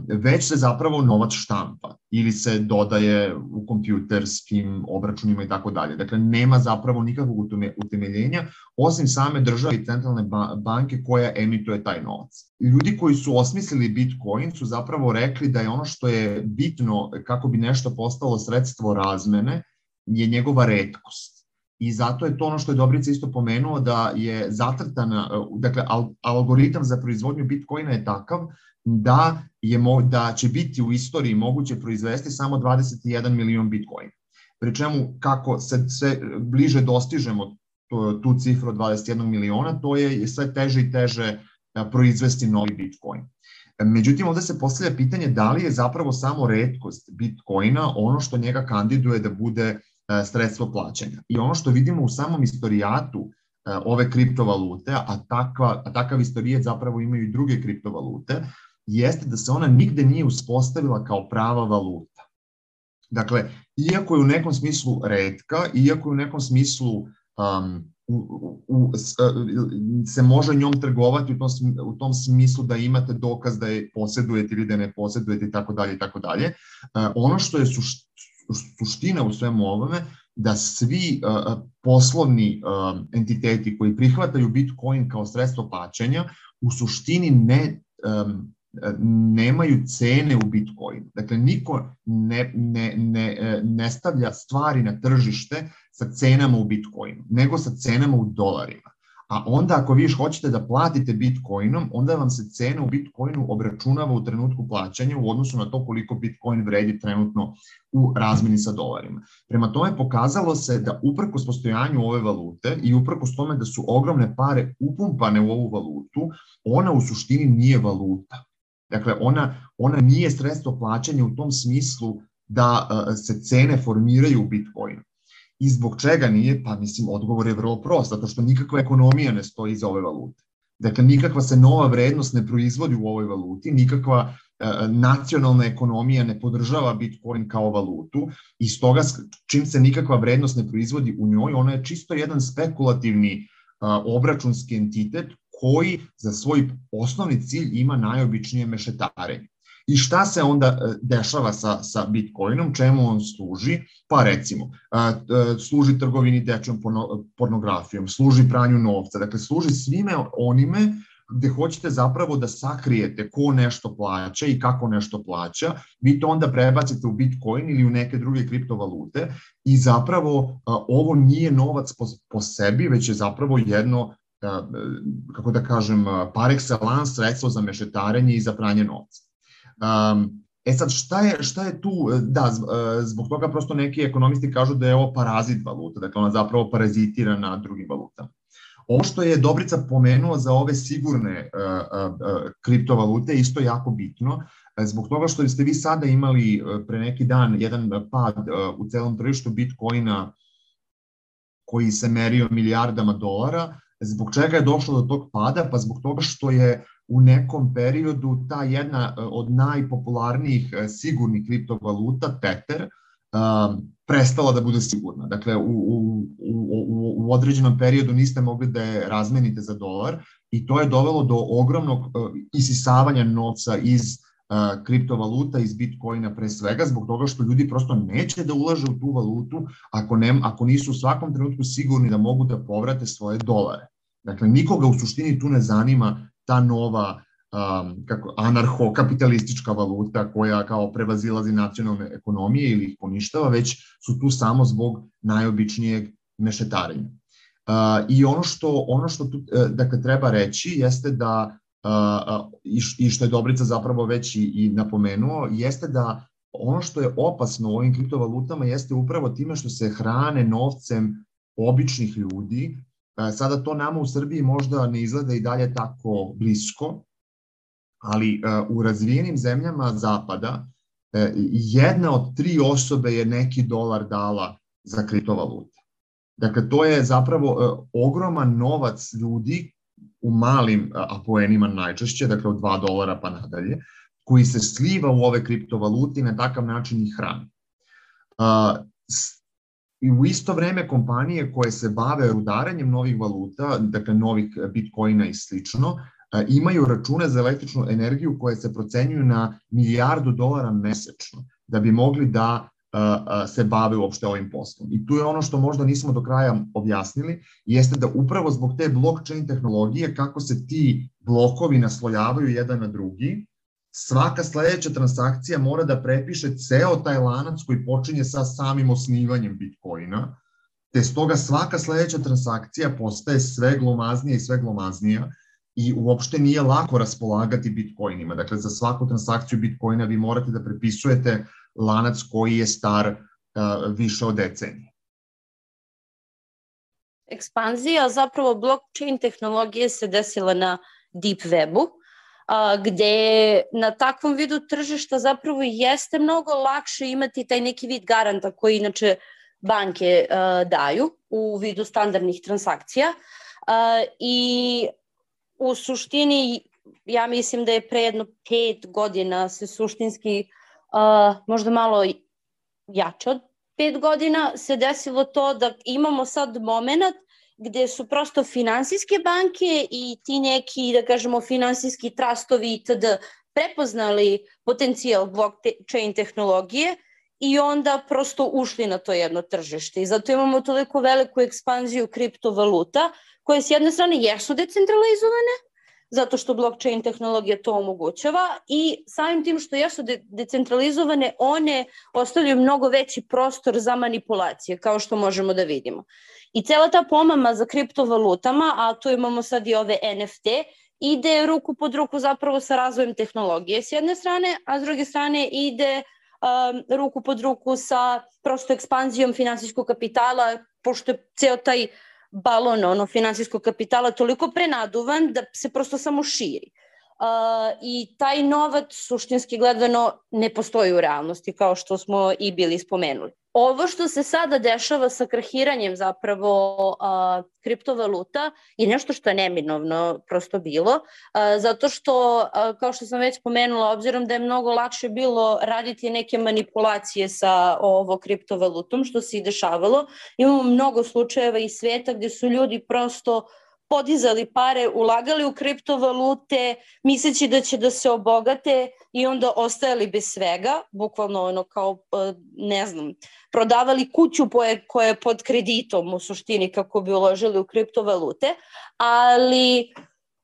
već se zapravo novac štampa ili se dodaje u kompjuterskim obračunima i tako dalje. Dakle, nema zapravo nikakvog utemeljenja osim same države i centralne banke koja emituje taj novac. Ljudi koji su osmislili Bitcoin su zapravo rekli da je ono što je bitno kako bi nešto postalo sredstvo razmene je njegova retkost. I zato je to ono što je Dobrica isto pomenuo da je zacrtana, dakle algoritam za proizvodnju Bitcoina je takav da, je, da će biti u istoriji moguće proizvesti samo dvadeset jedan milion Bitcoina. Pri čemu kako se sve bliže dostižemo tu cifru od dvadeset jedan miliona, to je sve teže i teže proizvesti novi Bitcoin. Međutim, ovde se postavlja pitanje da li je zapravo samo retkost Bitcoina ono što njega kandiduje da bude sredstvo plaćanja. I ono što vidimo u samom istorijatu ove kriptovalute, a, takva, a takav istorijat zapravo imaju i druge kriptovalute, jeste da se ona nigde nije uspostavila kao prava valuta. Dakle, iako je u nekom smislu retka, iako je u nekom smislu um, u, u, u, se može njom trgovati u tom, u tom smislu da imate dokaz da je posedujete ili da ne posedujete i tako dalje i tako dalje. Ono što je suština suština u svemu ovome, da svi uh, poslovni uh, entiteti koji prihvataju Bitcoin kao sredstvo plaćanja u suštini ne, um, nemaju cene u Bitcoinu. Dakle, niko ne, ne, ne, ne stavlja stvari na tržište sa cenama u Bitcoinu, nego sa cenama u dolarima. A onda ako vi još hoćete da platite Bitcoinom, onda vam se cena u Bitcoinu obračunava u trenutku plaćanja u odnosu na to koliko Bitcoin vredi trenutno u razmeni sa dolarima. Prema tome pokazalo se da uprkos postojanju ove valute i uprkos tome da su ogromne pare upumpane u ovu valutu, ona u suštini nije valuta. Dakle, ona, ona nije sredstvo plaćanja u tom smislu da uh, se cene formiraju u Bitcoinu. I zbog čega nije? Pa mislim, odgovor je vrlo prost, zato što nikakva ekonomija ne stoji iza ove valute. Dakle, nikakva se nova vrednost ne proizvodi u ovoj valuti, nikakva e, nacionalna ekonomija ne podržava Bitcoin kao valutu i stoga čim se nikakva vrednost ne proizvodi u njoj, ona je čisto jedan spekulativni e, obračunski entitet koji za svoj osnovni cilj ima najobičnije mešetarenje. I šta se onda dešava sa, sa Bitcoinom, čemu on služi? Pa recimo, služi trgovini dečjom pornografijom, služi pranju novca, dakle služi svime onime gde hoćete zapravo da sakrijete ko nešto plaća i kako nešto plaća, vi to onda prebacite u Bitcoin ili u neke druge kriptovalute i zapravo ovo nije novac po, po sebi, već je zapravo jedno, kako da kažem, par excellence sredstvo za mešetarenje i za pranje novca. Um, e sad, šta je, šta je tu? Da, zbog toga prosto neki ekonomisti kažu da je ovo parazit valuta, dakle ona zapravo parazitira na drugim valutama. Ovo što je Dobrica pomenuo za ove sigurne uh, uh, kriptovalute je isto jako bitno, zbog toga što ste vi sada imali pre neki dan jedan pad uh, u celom tržištu Bitcoina koji se merio milijardama dolara. Zbog čega je došlo do tog pada? Pa zbog toga što je u nekom periodu ta jedna od najpopularnijih sigurnih kriptovaluta, Tether, prestala da bude sigurna. Dakle, u, u, u, u određenom periodu niste mogli da je razmenite za dolar i to je dovelo do ogromnog isisavanja novca iz kriptovaluta, iz Bitcoina pre svega, zbog toga što ljudi prosto neće da ulaže u tu valutu ako, ne, ako nisu u svakom trenutku sigurni da mogu da povrate svoje dolare. Dakle, nikoga u suštini tu ne zanima ta nova um, kako, anarho-kapitalistička valuta koja kao prevazilazi nacionalne ekonomije ili ih poništava, već su tu samo zbog najobičnijeg mešetarenja. Uh, I ono što, ono što tu uh, dakle, treba reći jeste da, uh, i, i što je Dobrica zapravo već i, i napomenuo, jeste da ono što je opasno u ovim kriptovalutama jeste upravo time što se hrane novcem običnih ljudi. Sada to nama u Srbiji možda ne izgleda i dalje tako blisko, ali u razvijenim zemljama zapada jedna od tri osobe je neki dolar dala za kriptovalute. Dakle, to je zapravo ogroman novac ljudi u malim apoenima najčešće, dakle od dva dolara pa nadalje, koji se sliva u ove kriptovalute i na takav način ih hrani. I u isto vreme kompanije koje se bave rudarenjem novih valuta, dakle novih Bitcoina i slično, imaju račune za električnu energiju koje se procenjuju na milijardu dolara mesečno da bi mogli da se bave uopšte ovim poslom. I tu je ono što možda nismo do kraja objasnili, jeste da upravo zbog te blockchain tehnologije, kako se ti blokovi naslojavaju jedan na drugi, svaka sledeća transakcija mora da prepiše ceo taj lanac koji počinje sa samim osnivanjem Bitcoina, te stoga svaka sledeća transakcija postaje sve glomaznija i sve glomaznija i uopšte nije lako raspolagati Bitcoinima. Dakle, za svaku transakciju Bitcoina vi morate da prepisujete lanac koji je star uh, više od decenije. Ekspanzija zapravo blockchain tehnologije se desila na Deep Webu, a, gde na takvom vidu tržišta zapravo jeste mnogo lakše imati taj neki vid garanta koji inače banke a, daju u vidu standardnih transakcija a, i u suštini ja mislim da je pre jedno pet godina se suštinski a, možda malo jače od pet godina se desilo to da imamo sad moment gde su prosto finansijske banke i ti neki, da kažemo, finansijski trustovi itd. Prepoznali potencijal blockchain tehnologije i onda prosto ušli na to jedno tržište. I zato imamo toliko veliku ekspanziju kriptovaluta koje s jedne strane jesu decentralizovane, zato što blockchain tehnologija to omogućava i samim tim što jesu de- decentralizovane, one ostavljaju mnogo veći prostor za manipulacije, kao što možemo da vidimo. I cela ta pomama za kriptovalutama, a tu imamo sad i ove N F T, ide ruku pod ruku zapravo sa razvojem tehnologije s jedne strane, a s druge strane ide um, ruku pod ruku sa prosto ekspanzijom finansijskog kapitala, pošto je ceo taj balon ono, finansijskog kapitala toliko prenaduvan da se prosto samo širi. Uh, I taj novac suštinski gledano ne postoji u realnosti, kao što smo i bili spomenuli. Ovo što se sada dešava sa krahiranjem zapravo uh, kriptovaluta je nešto što je neminovno prosto bilo, uh, zato što, uh, kao što sam već spomenula, obzirom da je mnogo lakše bilo raditi neke manipulacije sa ovo kriptovalutom, što se i dešavalo, imamo mnogo slučajeva iz sveta gde su ljudi prosto podizali pare, ulagali u kriptovalute, misleći da će da se obogate i onda ostajali bez svega, bukvalno ono kao, ne znam, prodavali kuću koja je pod kreditom u suštini kako bi uložili u kriptovalute, ali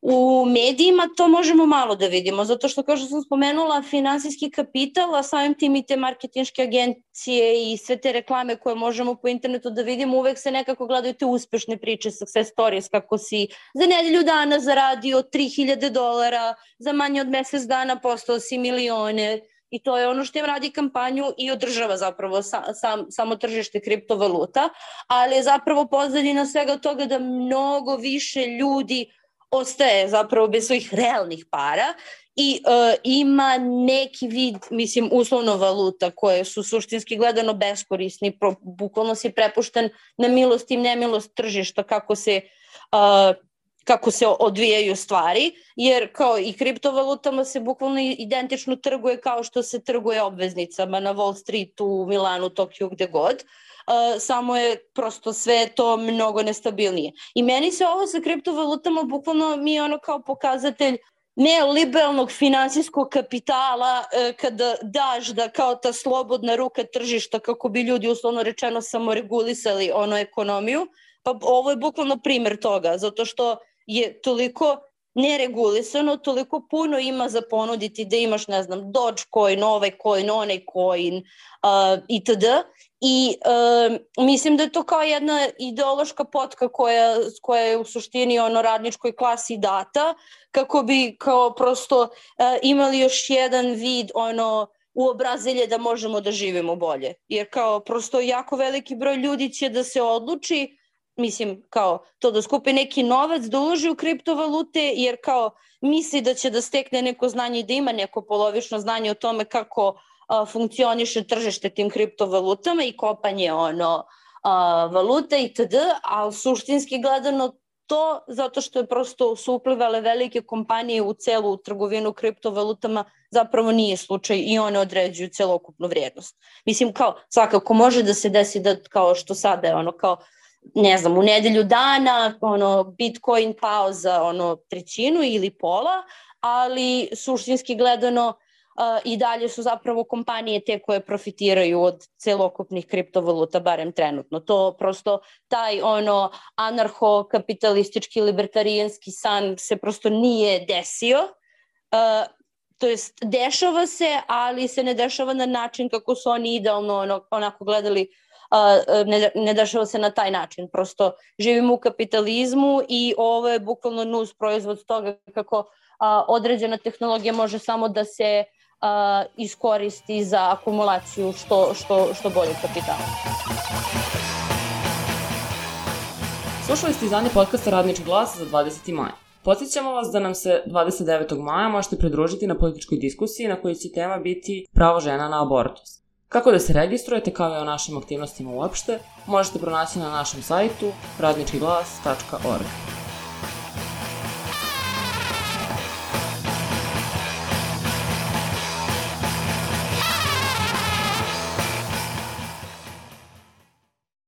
u medijima to možemo malo da vidimo, zato što kao što sam spomenula, finansijski kapital, a samim tim i te marketinške agencije i sve te reklame koje možemo po internetu da vidimo, uvek se nekako gledaju te uspešne priče, success stories, kako si za nedelju dana zaradio tri hiljade dolara, za manje od mesec dana postao si milione. I to je ono što im radi kampanju i održava zapravo sa, sam, samo tržište kriptovaluta, ali je zapravo pozadina svega toga da mnogo više ljudi ostaje zapravo bez svojih realnih para i uh, ima neki vid, mislim, uslovno valuta koje su suštinski gledano beskorisni, pro, bukvalno si prepušten na milost i nemilost tržišta kako se, uh, kako se odvijaju stvari, jer kao i kriptovalutama se bukvalno identično trguje kao što se trguje obveznicama na Wall Streetu, u Milanu, Tokiju, gde god. Uh, samo je prosto sve to mnogo nestabilnije. I meni se ovo sa kriptovalutama bukvalno mi je ono kao pokazatelj neoliberalnog finansijskog kapitala uh, kada daš da kao ta slobodna ruka tržišta kako bi ljudi uslovno rečeno samo regulisali ono ekonomiju, pa ovo je bukvalno primer toga, zato što je toliko neregulisano, toliko puno ima za ponuditi da imaš, ne znam, Dogecoin, ovaj coin, onaj coin uh, itd. I uh, mislim da je to kao jedna ideološka potka koja, koja je u suštini ono radničkoj klasi data, kako bi kao prosto uh, imali još jedan vid ono uobrazelje da možemo da živimo bolje. Jer kao prosto jako veliki broj ljudi će da se odluči, mislim, kao to da skupi neki novac, da uloži u kriptovalute, jer kao misli da će da stekne neko znanje i da ima neko polovično znanje o tome kako a, funkcioniše tržište tim kriptovalutama i kopanje ono a, valuta itd. Ali suštinski gledano to, zato što je prosto su uplivale velike kompanije u celu trgovinu kriptovalutama, zapravo nije slučaj i one određuju celokupnu vrijednost. Mislim, kao svakako može da se desi da kao što sada je ono kao ne znam, u nedelju dana ono, Bitcoin pao za ono, trećinu ili pola, ali suštinski gledano uh, i dalje su zapravo kompanije te koje profitiraju od celokupnih kriptovaluta, barem trenutno. To prosto taj ono anarcho-kapitalistički libertarijanski san se prosto nije desio. Uh, to jest dešava se, ali se ne dešava na način kako su oni idealno ono, onako gledali. Uh, ne, ne dešava se na taj način, prosto živimo u kapitalizmu i ovo je bukvalno nus proizvod toga kako uh, određena tehnologija može samo da se uh, iskoristi za akumulaciju što, što, što bolje kapitala. Slušali ste izdanje podcasta Radnički glas za dvadeseti maj. Podsjećamo vas da nam se dvadeset devetog maja možete pridružiti na političkoj diskusiji na kojoj će tema biti pravo žena na abortus. Kako da se registrujete kao i o našim aktivnostima uopšte, možete pronaći na našem sajtu radnički glas tačka org.